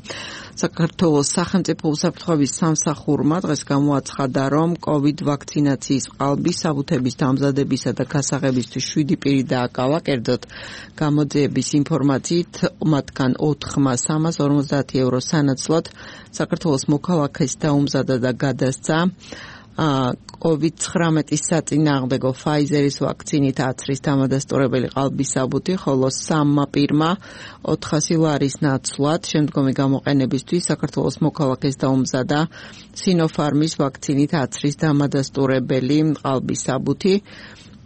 Speaker 2: საქართველოს სახელმწიფო უსაფრთხოების სამსახურმა დღეს გამოაცხადა, რომ კოვიდ ვაქცინაციის ყალბი საბუთების დამზადებისა და გასაღებისთვის შვიდი პირი დააკავა. კერძოდ გამოძიების ინფორმაციით, მათგან ოთხმა სამას ორმოცდაათი ევრო სანაცვლოდ საქართველოს მოქალაქეს დაუმზადა და გადასცა კოვიდ ცხრამეტის საწინააღმდეგო ფაიზერის ვაქცინით აცრის დამადასტურებელი ყალბის საბუთი, ხოლო სამმა პირმა ოთხასი ლარის ნაცვლად შემდგომი გამოყენებისთვის საქართველოს მოქალაქეს დაუმზადა სინოფარმის ვაქცინით აცრის დამადასტურებელი ყალბის საბუთი.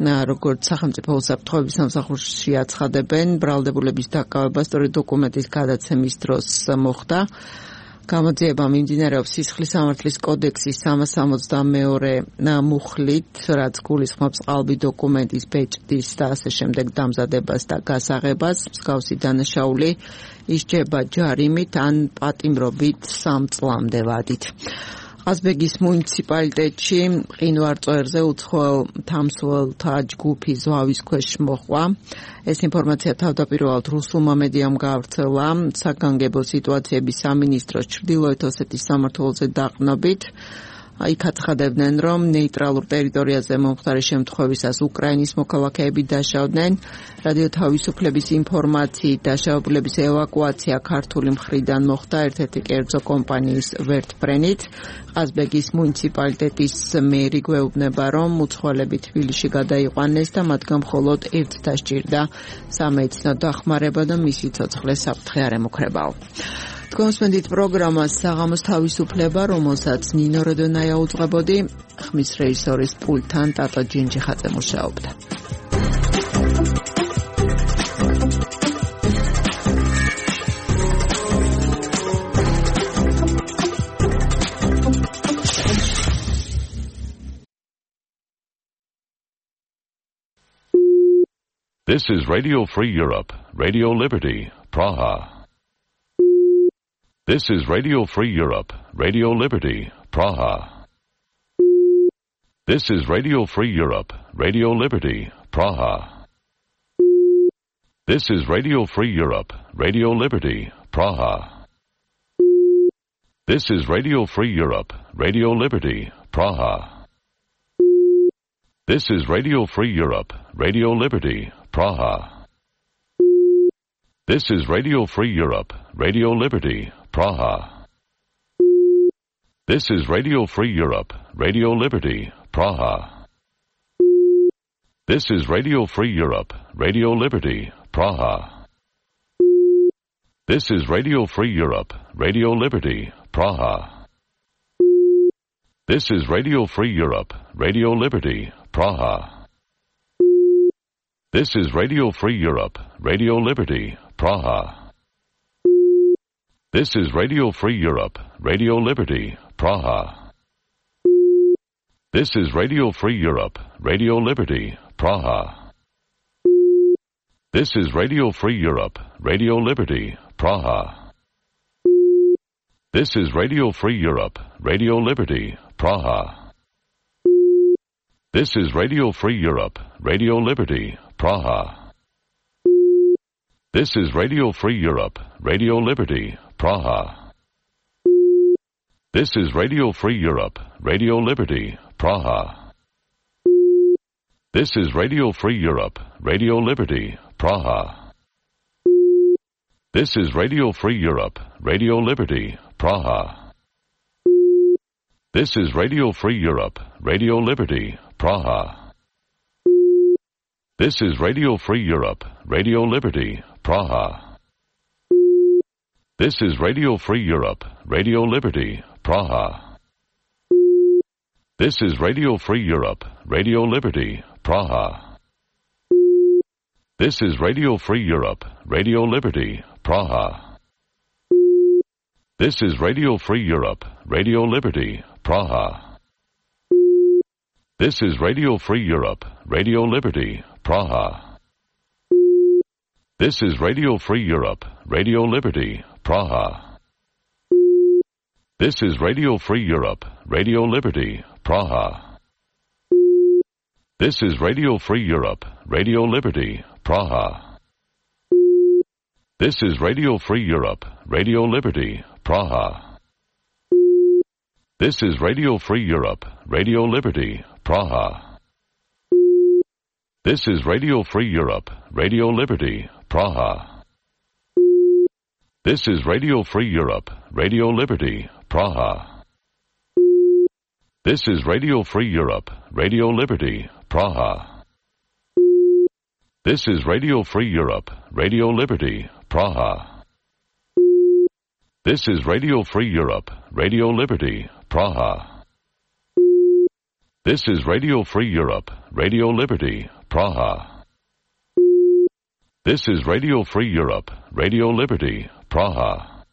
Speaker 2: როგორც სახელმწიფო უსაფრთხოების სამსახურში აცხადებენ, ბრალდებულების დაკავება სწორი დოკუმენტის გადაცემის დროს მოხდა. გამოძიება მიმდინარეობს სისხლის სამართლის კოდექსის სამას ორმოცდამეორე მუხლით, რაც გულისხმობს ყალბი დოკუმენტის ბეჭდის და ასე შემდეგ დამზადებას და გასაღებას. მსგავსი დანაშაული ისჯება ჯარიმით ან პატიმრობით სამ წლამდე ვადით. ყაზბეგის მუნიციპალიტეტში მყინვარწვერზე უცხოელ თამსვლელთა ჯგუფი ზვავის ქვეშ მოხვა. ეს ინფორმაცია თავდაპირველად რუსულმა მედიამ გაავრცელა საგანგებო სიტუაციების სამინისტროს ჩრდილოეთ ოსეთის სამმართველოზე დაყნობით. იქ აცხადებდნენ, რომ ნეიტრალურ ტერიტორიაზე მომხდარი შემთხვევისას უკრაინის მოქალაქეები დაშავდნენ. რადიო თავისუფლების ინფორმაციით დაშავებულების ევაკუაცია ქართული მხრიდან მოხდა ერთ-ერთი კერძო კომპანიის ვერტფრენით. ყაზბეგის მუნიციპალიტეტის მერი გვეუბნება, რომ მუცხოველები თბილისში გადაიყვანეს და მათგან მხოლოდ ერთ დასჭირდა სამედიცინო დახმარება და მისი ცოცხლე საფრთხე არ ემუქრებაო. თქვენსმენდით პროგრამას საღამოს თავისუფლება, რომელსაც ნინო როდონაია უძღვებოდი, ხმის რეჟისორის პულტთან ტატო ჯინჯიხაძე მუშაობდა.
Speaker 19: This is Radio Free Europe, Radio Liberty, Praha. This is Radio Free Europe, Radio Liberty, Praha. This is Radio Free Europe, Radio Liberty, Praha. This is Radio Free Europe, Radio Liberty, Praha. This is Radio Free Europe, Radio Liberty, Praha. This is Radio Free Europe, Radio Liberty, Praha. This is Radio Free Europe, Radio Liberty, Praha. This is Radio Free Europe, Radio Liberty, Praha. This is Radio Free Europe, Radio Liberty, Praha. This is Radio Free Europe, Radio Liberty, Praha. This is Radio Free Europe, Radio Liberty, Praha. This is Radio Free Europe, Radio Liberty, Praha. This is Radio Free Europe, Radio Liberty, Praha. This is Radio Free Europe, Radio Liberty, Praha. This is Radio Free Europe, Radio Liberty, Praha. This is Radio Free Europe, Radio Liberty, Praha. This is Radio Free Europe, Radio Liberty, Praha. This is Radio Free Europe, Radio Liberty, Praha. This is Radio Free Europe, Radio Liberty, Praha. This is Radio Free Europe, Radio Liberty, Praha. This is Radio Free Europe, Radio Liberty, Praha. This is Radio Free Europe, Radio Liberty, Praha. This is Radio Free Europe, Radio Liberty, Praha. This is Radio Free Europe, Radio Liberty, Praha. This is Radio Free Europe, Radio Liberty, Praha. This is Radio Free Europe, Radio Liberty, Praha. This is Radio Free Europe, Radio Liberty, Praha. This is Radio Free Europe, Radio Liberty, Praha. This is Radio Free Europe, Radio Liberty, Praha. This is Radio Free Europe, Radio Liberty, Praha. This is Radio Free Europe, Radio Liberty, Praha. This is Radio Free Europe, Radio Liberty, Praha. This is Radio Free Europe, Radio Liberty, Praha. This is Radio Free Europe, Radio Liberty, Praha. This is Radio Free Europe, Radio Liberty, Praha. This is Radio Free Europe, Radio Liberty, Praha. This is Radio Free Europe, Radio Liberty, Praha. This is Radio Free Europe, Radio Liberty, Praha. This is Radio Free Europe, Radio Liberty, Praha. This is Radio Free Europe, Radio Liberty, Praha.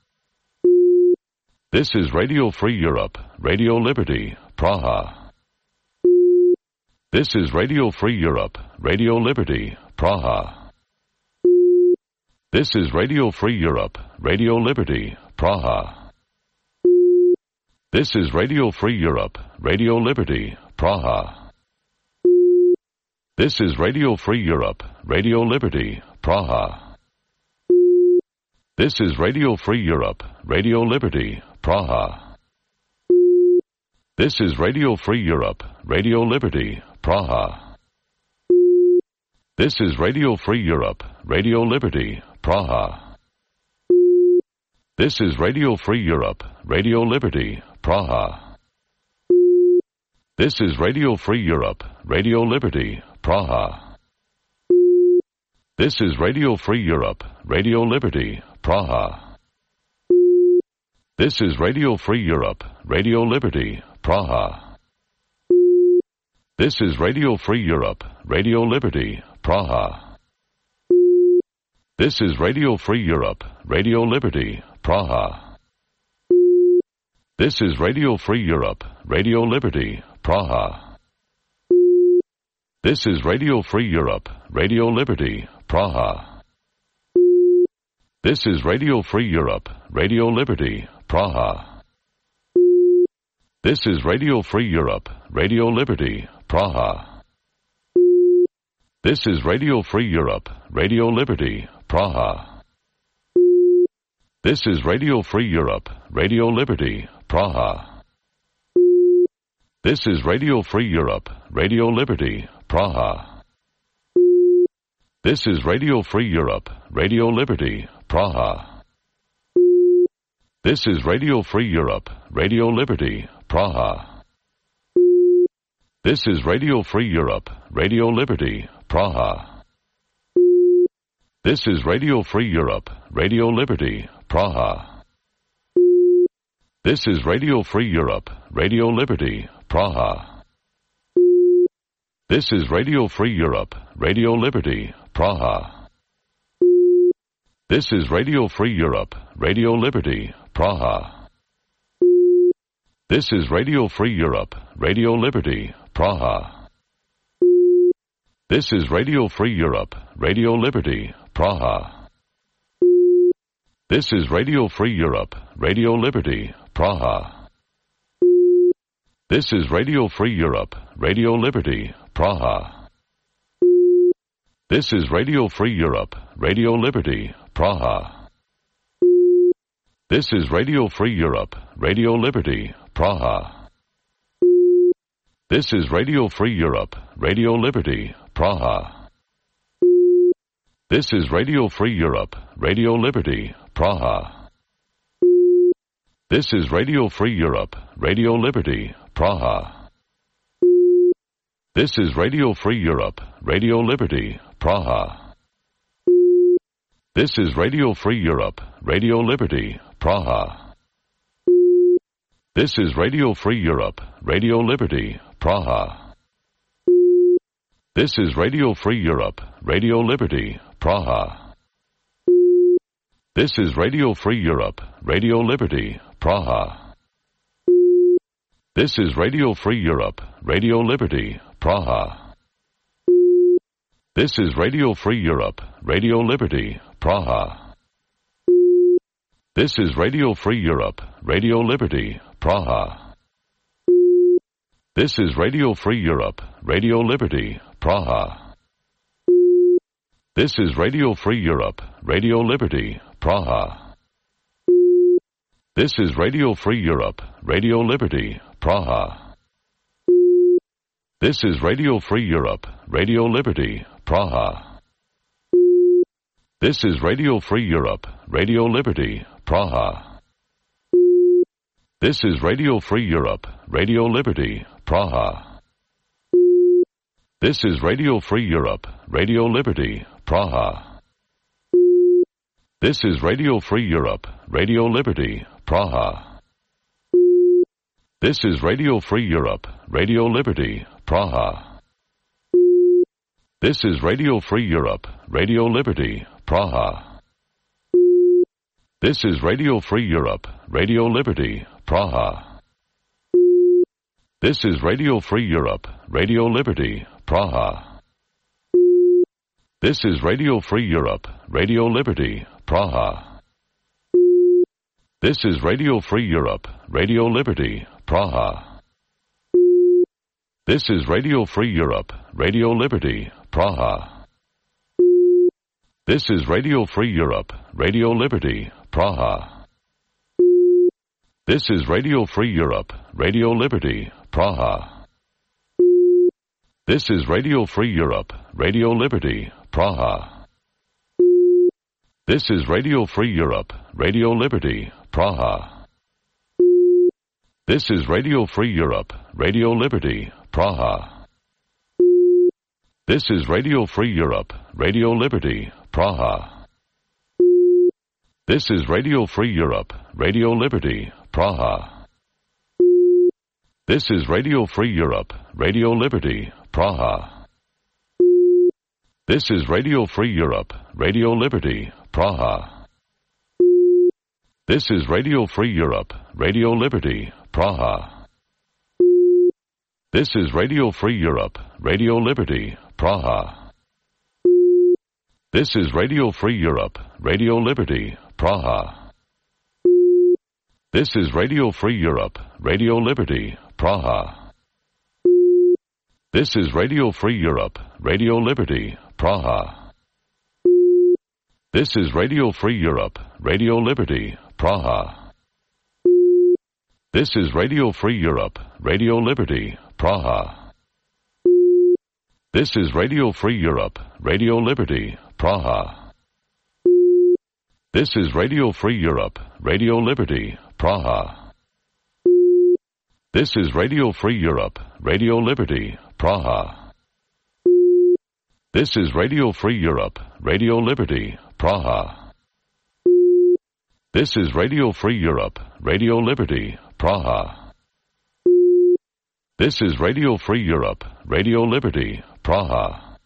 Speaker 19: This is Radio Free Europe, Radio Liberty, Praha. This is Radio Free Europe, Radio Liberty, Praha. This is Radio Free Europe, Radio Liberty, Praha. This is Radio Free Europe, Radio Liberty, Praha. This is Radio Free Europe, Radio Liberty, Praha. This is Radio Free Europe, Radio Liberty, Praha. This is Radio Free Europe, Radio Liberty, Praha. This is Radio Free Europe, Radio Liberty, Praha. This is Radio Free Europe, Radio Liberty, Praha. This is Radio Free Europe, Radio Liberty, Praha. This is Radio Free Europe, Radio Liberty, Praha. This is Radio Free Europe, Radio Liberty, Praha. This is Radio Free Europe, Radio Liberty, Praha. This is Radio Free Europe, Radio Liberty, Praha. This is Radio Free Europe, Radio Liberty, Praha. This is Radio Free Europe, Radio Liberty, Praha. This is Radio Free Europe, Radio Liberty, Praha. This is Radio Free Europe, Radio Liberty, Praha. This is Radio Free Europe, Radio Liberty, Praha. This is Radio Free Europe, Radio Liberty, Praha. This is Radio Free Europe, Radio Liberty, Praha. This is Radio Free Europe, Radio Liberty, Praha. This is Radio Free Europe, Radio Liberty, Praha. This is Radio Free Europe, Radio Liberty, Praha. This is Radio Free Europe, Radio Liberty, Praha. This is Radio Free Europe, Radio Liberty, Praha. This is Radio Free Europe, Radio Liberty, Praha. This is Radio Free Europe, Radio Liberty, Praha. This is Radio Free Europe, Radio Liberty, Praha. This is Radio Free Europe, Radio Liberty, Praha. This is Radio Free Europe, Radio Liberty, Praha. This is Radio Free Europe, Radio Liberty, Praha. This is Radio Free Europe, Radio Liberty, Praha. This is Radio Free Europe, Radio Liberty, Praha. This is Radio Free Europe, Radio Liberty, Praha. This is Radio Free Europe, Radio Liberty, Praha. This is Radio Free Europe, Radio Liberty, Praha. This is Radio Free Europe, Radio Liberty, Praha. This is Radio Free Europe, Radio Liberty, Praha. This is Radio Free Europe, Radio Liberty, Praha. This is Radio Free Europe, Radio Liberty, Praha. This is Radio Free Europe, Radio Liberty, Praha. This is Radio Free Europe, Radio Liberty, Praha. This is Radio Free Europe, Radio Liberty, Praha. This is Radio Free Europe, Radio Liberty, Praha. This is Radio Free Europe, Radio Liberty, Praha. This is Radio Free Europe, Radio Liberty, Praha. This is Radio Free Europe, Radio Liberty, Praha. This is Radio Free Europe, Radio Liberty, Praha. This is Radio Free Europe, Radio Liberty, Praha. This is Radio Free Europe, Radio Liberty, Praha. This is Radio Free Europe, Radio Liberty, Praha. This is Radio Free Europe, Radio Liberty, Praha. This is Radio Free Europe, Radio Liberty, Praha. This is Radio Free Europe, Radio Liberty, Praha. This is Radio Free Europe, Radio Liberty, Praha. This is Radio Free Europe, Radio Liberty, Praha. This is Radio Free Europe, Radio Liberty, Praha. This is Radio Free Europe, Radio Liberty, Praha. This is Radio Free Europe, Radio Liberty, Praha. This is Radio Free Europe, Radio Liberty, Praha. This is Radio Free Europe, Radio Liberty, Praha. This is Radio Free Europe, Radio Liberty, Praha. This is Radio Free Europe, Radio Liberty, Praha. This is Radio Free Europe, Radio Liberty, Praha. This is Radio Free Europe, Radio Liberty, Praha. This is Radio Free Europe, Radio Liberty, Praha. This is Radio Free Europe, Radio Liberty, Praha. This is Radio Free Europe, Radio Liberty, Praha. This is Radio Free Europe, Radio Liberty, Praha. This is Radio Free Europe, Radio Liberty, Praha. This is Radio Free Europe, Radio Liberty, Praha. This is Radio Free Europe, Radio Liberty, Praha. This is Radio Free Europe, Radio Liberty, Praha. This is Radio Free Europe, Radio Liberty, Praha. This is Radio Free Europe, Radio Liberty, Praha. This is Radio Free Europe, Radio Liberty, Praha. This is Radio Free Europe, Radio Liberty, Praha. This is Radio Free Europe, Radio Liberty, Praha. This is Radio Free Europe, Radio Liberty, Praha. This is Radio Free Europe, Radio Liberty, Praha. This is Radio Free Europe, Radio Liberty, Praha.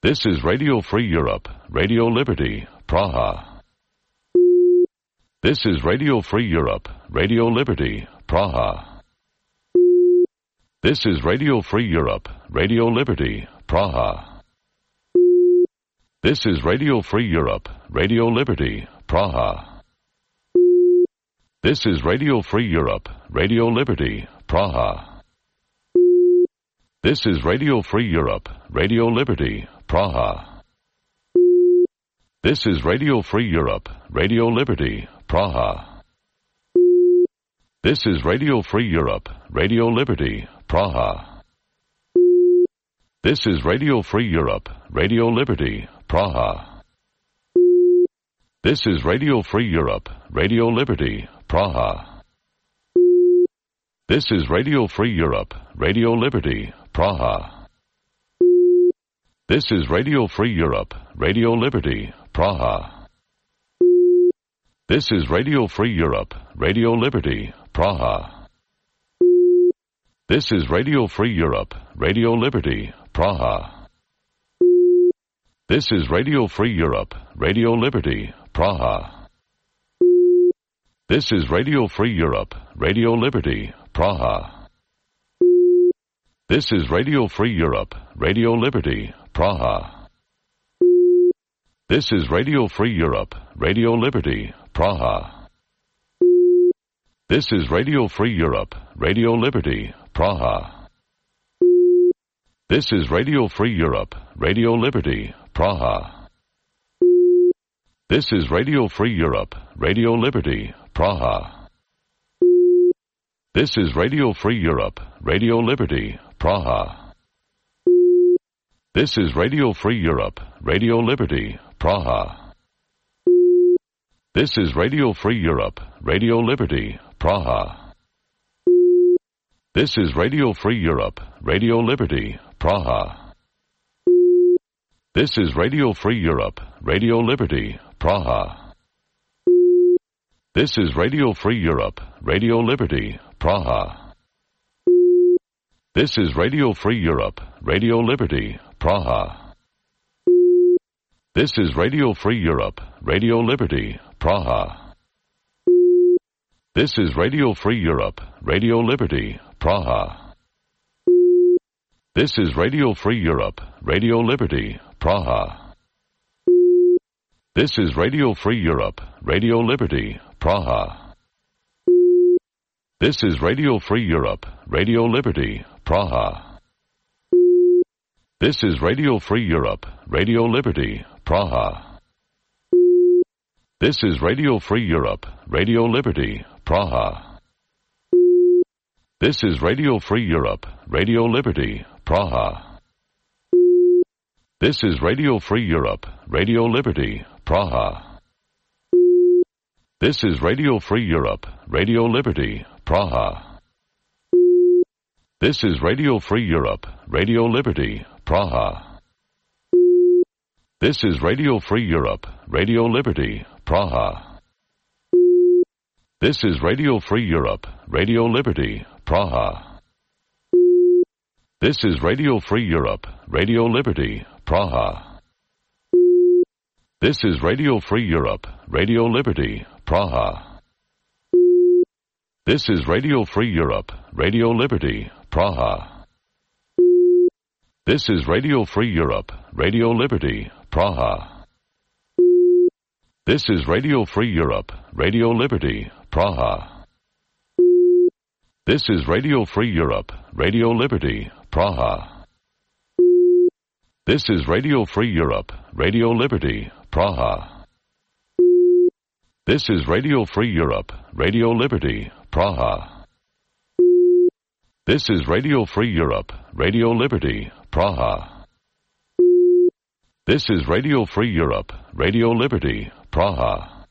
Speaker 19: This is Radio Free Europe, Radio Liberty, Praha. This is Radio Free Europe, Radio Liberty, Praha. This is Radio Free Europe, Radio Liberty, Praha. This is Radio Free Europe, Radio Liberty, Praha. This is Radio Free Europe, Radio Liberty, Praha. This is Radio Free Europe, Radio Liberty, Praha. This is Radio Free Europe, Radio Liberty, Praha. This is Radio Free Europe, Radio Liberty, Praha. This is Radio Free Europe, Radio Liberty, Praha. This is Radio Free Europe, Radio Liberty, Praha. This is Radio Free Europe, Radio Liberty, Praha. This is Radio Free Europe, Radio Liberty, Praha. This is Radio Free Europe, Radio Liberty, Praha. This is Radio Free Europe, Radio Liberty, Praha. This is Radio Free Europe, Radio Liberty, Praha. This is Radio Free Europe, Radio Liberty, Praha. This is Radio Free Europe, Radio Liberty, Praha. This is Radio Free Europe, Radio Liberty, Praha. This is Radio Free Europe, Radio Liberty, Praha. This is Radio Free Europe, Radio Liberty, Praha. This is Radio Free Europe, Radio Liberty, Praha. This is Radio Free Europe, Radio Liberty, Praha. This is Radio Free Europe, Radio Liberty, Praha. This is Radio Free Europe, Radio Liberty, Praha. This is Radio Free Europe, Radio Liberty, Praha. This is Radio Free Europe, Radio Liberty, Praha. This is Radio Free Europe, Radio Liberty, Praha. This is Radio Free Europe, Radio Liberty, Praha. This is Radio Free Europe, Radio Liberty, Praha. This is Radio Free Europe, Radio Liberty, Praha. This is Radio Free Europe, Radio Liberty, Praha. This is Radio Free Europe, Radio Liberty, Praha. This is Radio Free Europe, Radio Liberty, Praha. This is Radio Free Europe, Radio Liberty, Praha. This is Radio Free Europe, Radio Liberty, Praha. This is Radio Free Europe, Radio Liberty, Praha. This is Radio Free Europe, Radio Liberty, Praha. This is Radio Free Europe, Radio Liberty, Praha. This is Radio Free Europe, Radio Liberty, Praha. This is Radio Free Europe, Radio Liberty, Praha. This is Radio Free Europe, Radio Liberty, Praha. This is Radio Free Europe, Radio Liberty, Praha. This is Radio Free Europe, Radio Liberty, Praha. This is Radio Free Europe, Radio Liberty, Praha. This is Radio Free Europe, Radio Liberty, Praha. This is Radio Free Europe, Radio Liberty, Praha. This is Radio Free Europe, Radio Liberty, Praha. This is Radio Free Europe, Radio Liberty, Praha. This is Radio Free Europe, Radio Liberty, Praha. This is Radio Free Europe, Radio Liberty, Praha. This is Radio Free Europe, Radio Liberty, Praha.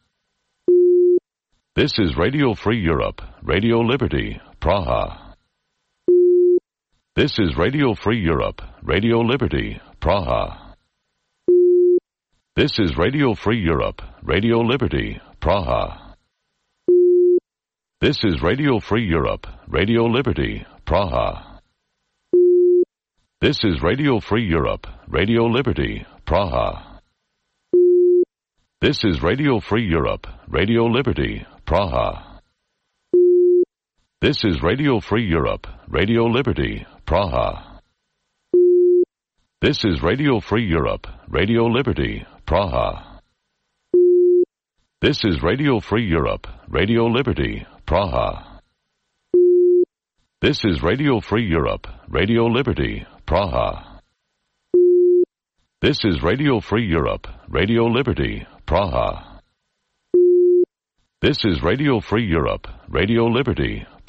Speaker 19: This is Radio Free Europe, Radio Liberty, Praha. This is Radio Free Europe, Radio Liberty, Praha. This is Radio Free Europe, Radio Liberty, Praha. This is Radio Free Europe, Radio Liberty, Praha. This is Radio Free Europe, Radio Liberty, Praha. This is Radio Free Europe, Radio Liberty, Praha. This is Radio Free Europe, Radio Liberty, Praha. This is Radio Free Europe, Radio Liberty, Praha. This is Radio Free Europe, Radio Liberty, Praha. This is Radio Free Europe, Radio Liberty, Praha. This is Radio Free Europe, Radio Liberty, Praha. This is Radio Free Europe, Radio Liberty,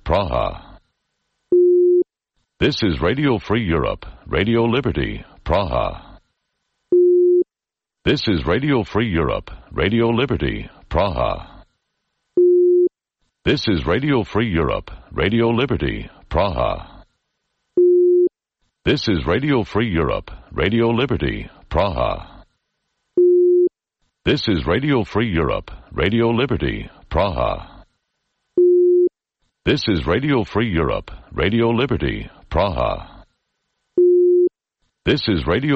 Speaker 19: Praha. This is Radio Free Europe, Radio Liberty, Praha. This is Radio Free Europe, Radio Liberty, Praha. This is Radio Free Europe, Radio Liberty, Praha. This is Radio Free Europe, Radio Liberty, Praha. This is Radio Free Europe, Radio Liberty, Praha. This is Radio Free Europe, Radio Liberty, Praha. This is Radio Free Europe, Radio Liberty, Praha. This is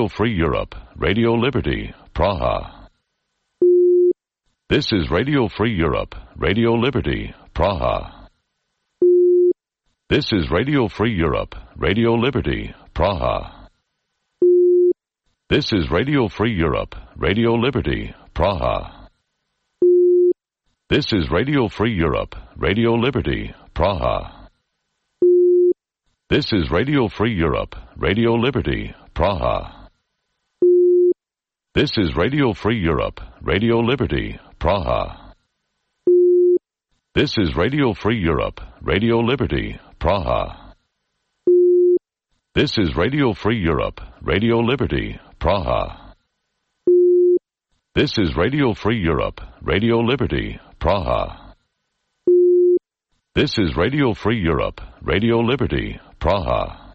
Speaker 19: Radio Free Europe, Radio Liberty, Praha. This is Radio Free Europe, Radio Liberty, Praha. This is Radio Free Europe, Radio Liberty, Praha. This is Radio Free Europe, Radio Liberty, Praha. This is Radio Free Europe, Radio Liberty, Praha. This is Radio Free Europe, Radio Liberty, Praha. This is Radio Free Europe, Radio Liberty, Praha. This is Radio Free Europe, Radio Liberty, Praha. This is Radio Free Europe, Radio Liberty, Praha. This is Radio Free Europe, Radio Liberty, Praha. This is Radio Free Europe, Radio Liberty, Praha.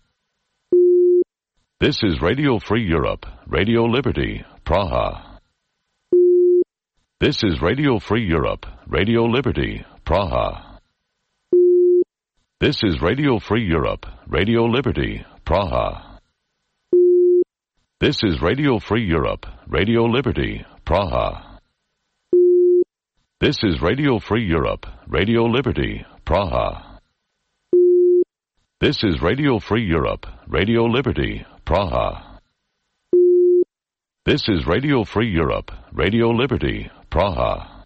Speaker 19: This is Radio Free Europe, Radio Liberty, Praha. This is Radio Free Europe, Radio Liberty, Praha. This is Radio Free Europe, Radio Liberty, Praha. This is Radio Free Europe, Radio Liberty, Praha. This is Radio Free Europe, Radio Liberty, Praha. This is Radio Free Europe, Radio Liberty, Praha. This is Radio Free Europe, Radio Liberty, Praha.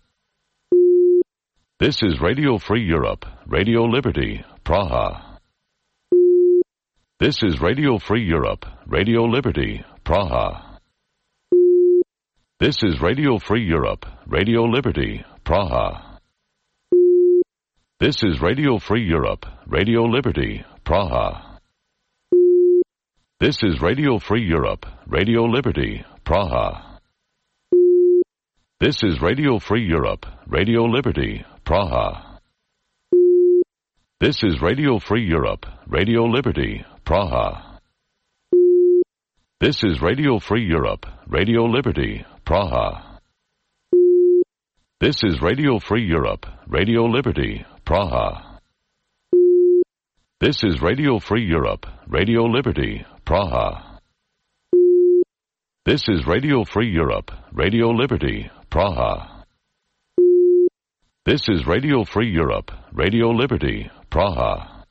Speaker 19: This is Radio Free Europe, Radio Liberty, Praha. This is Radio Free Europe, Radio Liberty, Praha. This is Radio Free Europe, Radio Liberty, Praha. This is Radio Free Europe, Radio Liberty, Praha. This is Radio Free Europe, Radio Liberty, Praha. This is Radio Free Europe, Radio Liberty, Praha. This is Radio Free Europe, Radio Liberty, Praha. This is Radio Free Europe, Radio Liberty, Praha. This is Radio Free Europe, Radio Liberty, Praha. This is Radio Free Europe, Radio Liberty, Praha. This is Radio Free Europe, Radio Liberty, Praha. This is Radio Free Europe, Radio Liberty, Praha.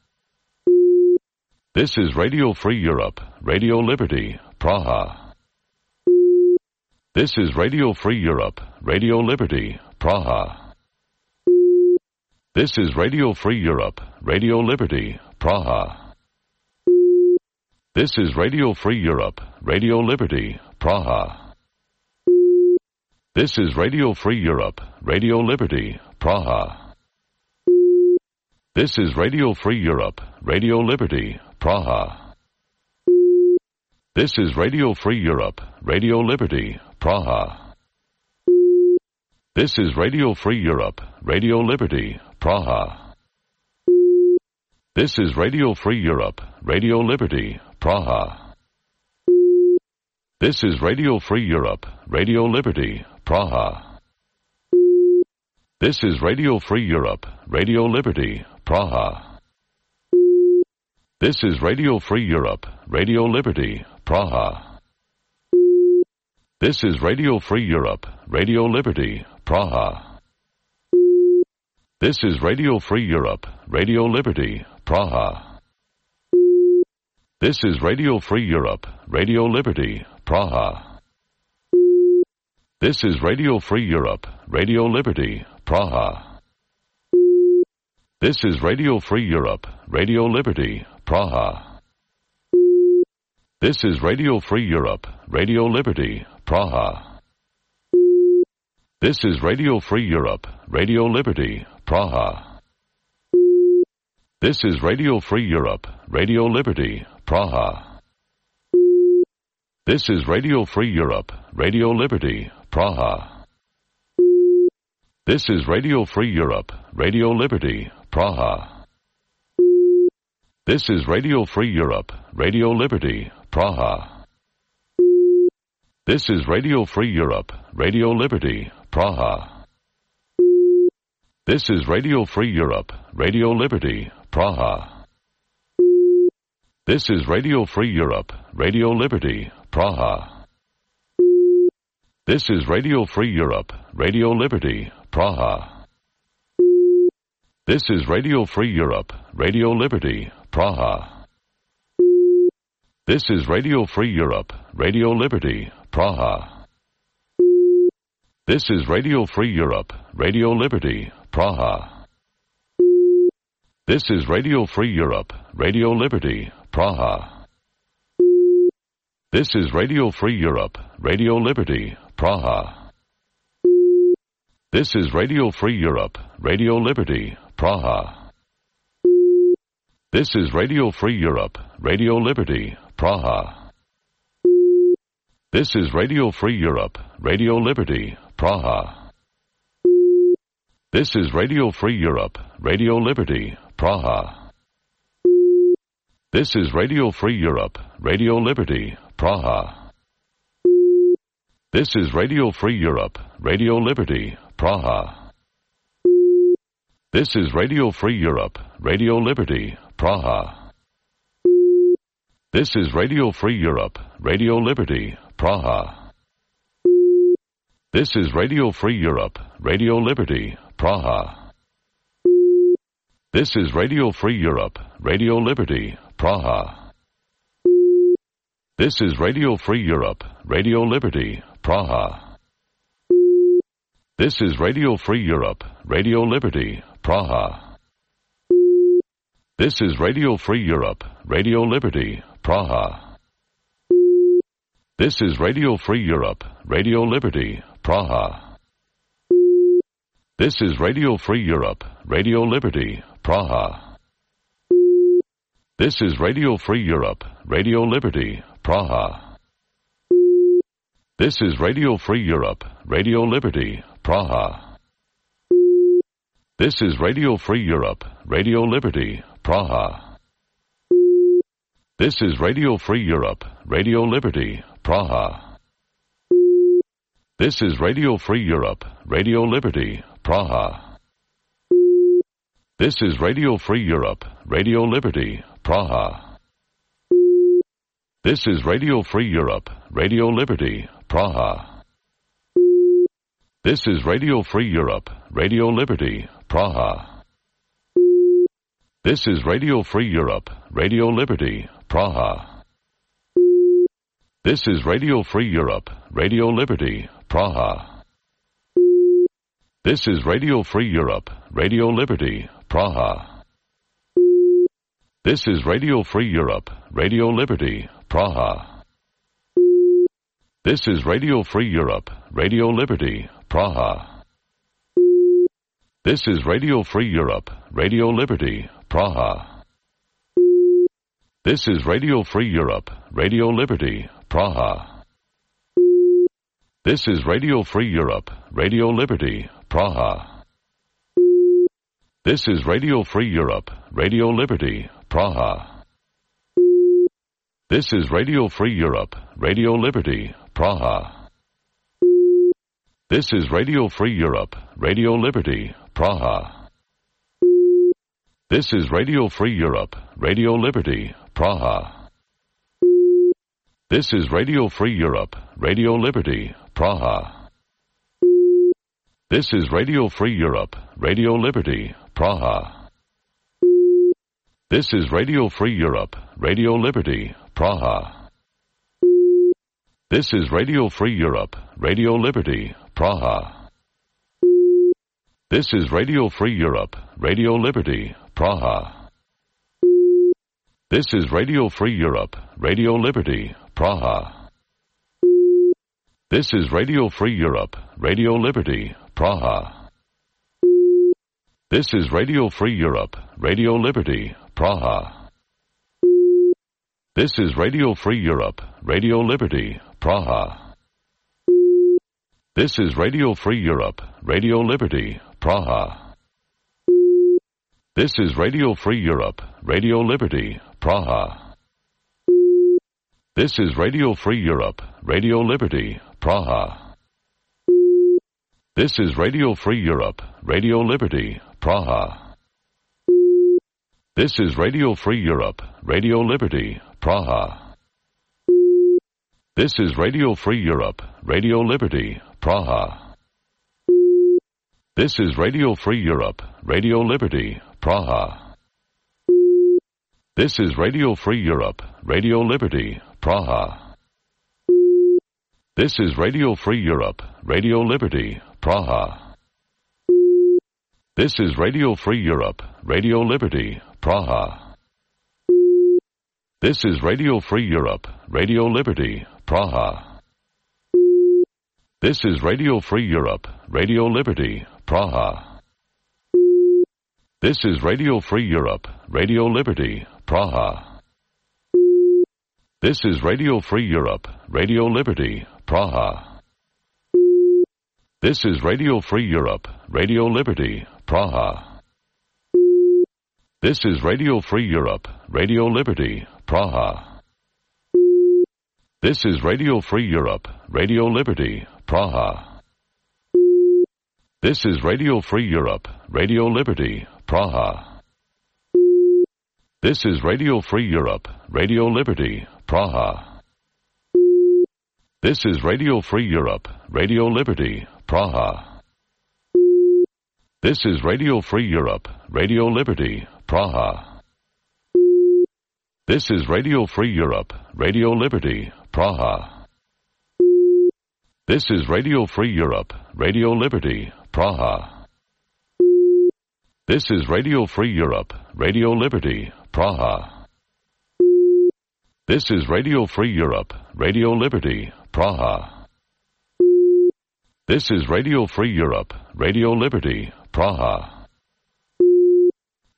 Speaker 19: This is Radio Free Europe, Radio Liberty, Praha. This is Radio Free Europe, Radio Liberty, Praha. This is Radio Free Europe, Radio Liberty, Praha. This is Radio Free Europe, Radio Liberty, Praha. This is Radio Free Europe, Radio Liberty, Praha. This is Radio Free Europe, Radio Liberty, Praha. This is Radio Free Europe, Radio Liberty, Praha. This is Radio Free Europe, Radio Liberty, Praha. This is Radio Free Europe, Radio Liberty, Praha. This is Radio Free Europe, Radio Liberty, Praha. This is Radio Free Europe, Radio Liberty, Praha. This is Radio Free Europe, Radio Liberty, Praha. This is Radio Free Europe, Radio Liberty, Praha. This is Radio Free Europe, Radio Liberty, Praha. This is Radio Free Europe, Radio Liberty, Praha. This is Radio Free Europe, Radio Liberty, Praha. This is Radio Free Europe, Radio Liberty, Praha. This is Radio Free Europe, Radio Liberty, Praha. This is Radio Free Europe, Radio Liberty, Praha. This is Radio Free Europe, Radio Liberty, Praha. This is Radio Free Europe, Radio Liberty, Praha. This is Radio Free Europe, Radio Liberty, Praha. This is Radio Free Europe, Radio Liberty, Praha. This is Radio Free Europe, Radio Liberty, Praha. This is Radio Free Europe, Radio Liberty, Praha. This is Radio Free Europe, Radio Liberty, Praha. This is Radio Free Europe, Radio Liberty, Praha. This is Radio Free Europe, Radio Liberty, Praha. This is Radio Free Europe, Radio Liberty, Praha. This is Radio Free Europe, Radio Liberty, Praha. This is Radio Free Europe, Radio Liberty, Praha. This is Radio Free Europe, Radio Liberty, Praha. This is Radio Free Europe, Radio Liberty, Praha. This is Radio Free Europe, Radio Liberty, Praha. This is Radio Free Europe, Radio Liberty, Praha. This is Radio Free Europe, Radio Liberty, Praha. This is Radio Free Europe, Radio Liberty, Praha. This is Radio Free Europe, Radio Liberty, Praha. This is Radio Free Europe, Radio Liberty, Praha. This is Radio Free Europe, Radio Liberty, Praha. This is Radio Free Europe, Radio Liberty, Praha. This is Radio Free Europe, Radio Liberty, Praha. This is Radio Free Europe, Radio Liberty, Praha. This is Radio Free Europe, Radio Liberty, Praha. This is Radio Free Europe, Radio Liberty, Praha. This is Radio Free Europe, Radio Liberty, Praha. This is Radio Free Europe, Radio Liberty, Praha. This is Radio Free Europe, Radio Liberty, Praha. This is Radio Free Europe, Radio Liberty, Praha. This is Radio Free Europe, Radio Liberty, Praha. This is Radio Free Europe, Radio Liberty, Praha. This is Radio Free Europe, Radio Liberty, Praha. This is Radio Free Europe, Radio Liberty, Praha. This is Radio Free Europe, Radio Liberty, Praha. This is Radio Free Europe, Radio Liberty, Praha. This is Radio Free Europe, Radio Liberty, Praha. This is Radio Free Europe, Radio Liberty, Praha. This is Radio Free Europe, Radio Liberty, Praha. This is Radio Free Europe, Radio Liberty, Praha. This is Radio Free Europe, Radio Liberty, Praha. This is Radio Free Europe, Radio Liberty, Praha. This is Radio Free Europe, Radio Liberty, Praha. This is Radio Free Europe, Radio Liberty, Praha. This is Radio Free Europe, Radio Liberty, Praha. This is Radio Free Europe, Radio Liberty, Praha. This is Radio Free Europe, Radio Liberty, Praha. This is Radio Free Europe, Radio Liberty, Praha. This is Radio Free Europe, Radio Liberty, Praha. This is Radio Free Europe, Radio Liberty, Praha. This is Radio Free Europe, Radio Liberty, Praha. This is Radio Free Europe, Radio Liberty, Praha. This is Radio Free Europe, Radio Liberty, Praha. This is Radio Free Europe, Radio Liberty, Praha. This is Radio Free Europe, Radio Liberty, Praha. This is Radio Free Europe, Radio Liberty, Praha. This is Radio Free Europe, Radio Liberty, Praha. This is Radio Free Europe, Radio Liberty, Praha. This is Radio Free Europe, Radio Liberty, Praha. This is Radio Free Europe, Radio Liberty, Praha. This is Radio Free Europe, Radio Liberty, Praha. This is Radio Free Europe, Radio Liberty, Praha. This is Radio Free Europe, Radio Liberty, Praha. This is Radio Free Europe, Radio Liberty, Praha. This is Radio Free Europe, Radio Liberty, Praha. This is Radio Free Europe, Radio Liberty, Praha. This is Radio Free Europe, Radio Liberty, Praha. This is Radio Free Europe, Radio Liberty, Praha. This is Radio Free Europe, Radio Liberty, Praha. This is Radio Free Europe, Radio Liberty, Praha. This is Radio Free Europe, Radio Liberty, Praha. This is Radio Free Europe, Radio Liberty, Praha. This is Radio Free Europe, Radio Liberty, Praha. This is Radio Free Europe, Radio Liberty, Praha. This is Radio Free Europe, Radio Liberty, Praha. This is Radio Free Europe, Radio Liberty, Praha. This is Radio Free Europe, Radio Liberty, Praha. This is Radio Free Europe, Radio Liberty, Praha. This is Radio Free Europe, Radio Liberty, Praha. This is Radio Free Europe, Radio Liberty, Praha. This is Radio Free Europe, Radio Liberty, Praha. This is Radio Free Europe, Radio Liberty, Praha. This is Radio Free Europe, Radio Liberty, Praha.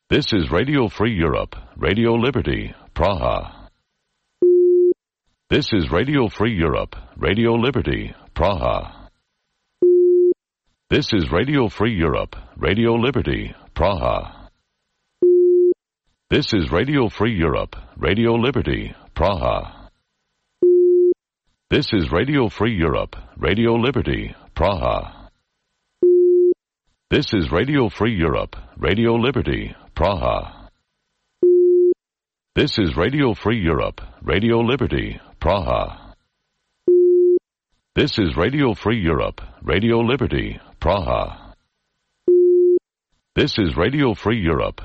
Speaker 19: This is Radio Free Europe, Radio Liberty, Praha. This is Radio Free Europe, Radio Liberty, Praha. This is Radio Free Europe, Radio Liberty, Praha. This is Radio Free Europe, Radio Liberty, Praha. This is Radio Free Europe, Radio Liberty, Praha. This is Radio Free Europe, Radio Liberty, Praha. This is Radio Free Europe, Radio Liberty, Praha. This is Radio Free Europe, Radio Liberty, Praha. This is Radio Free Europe,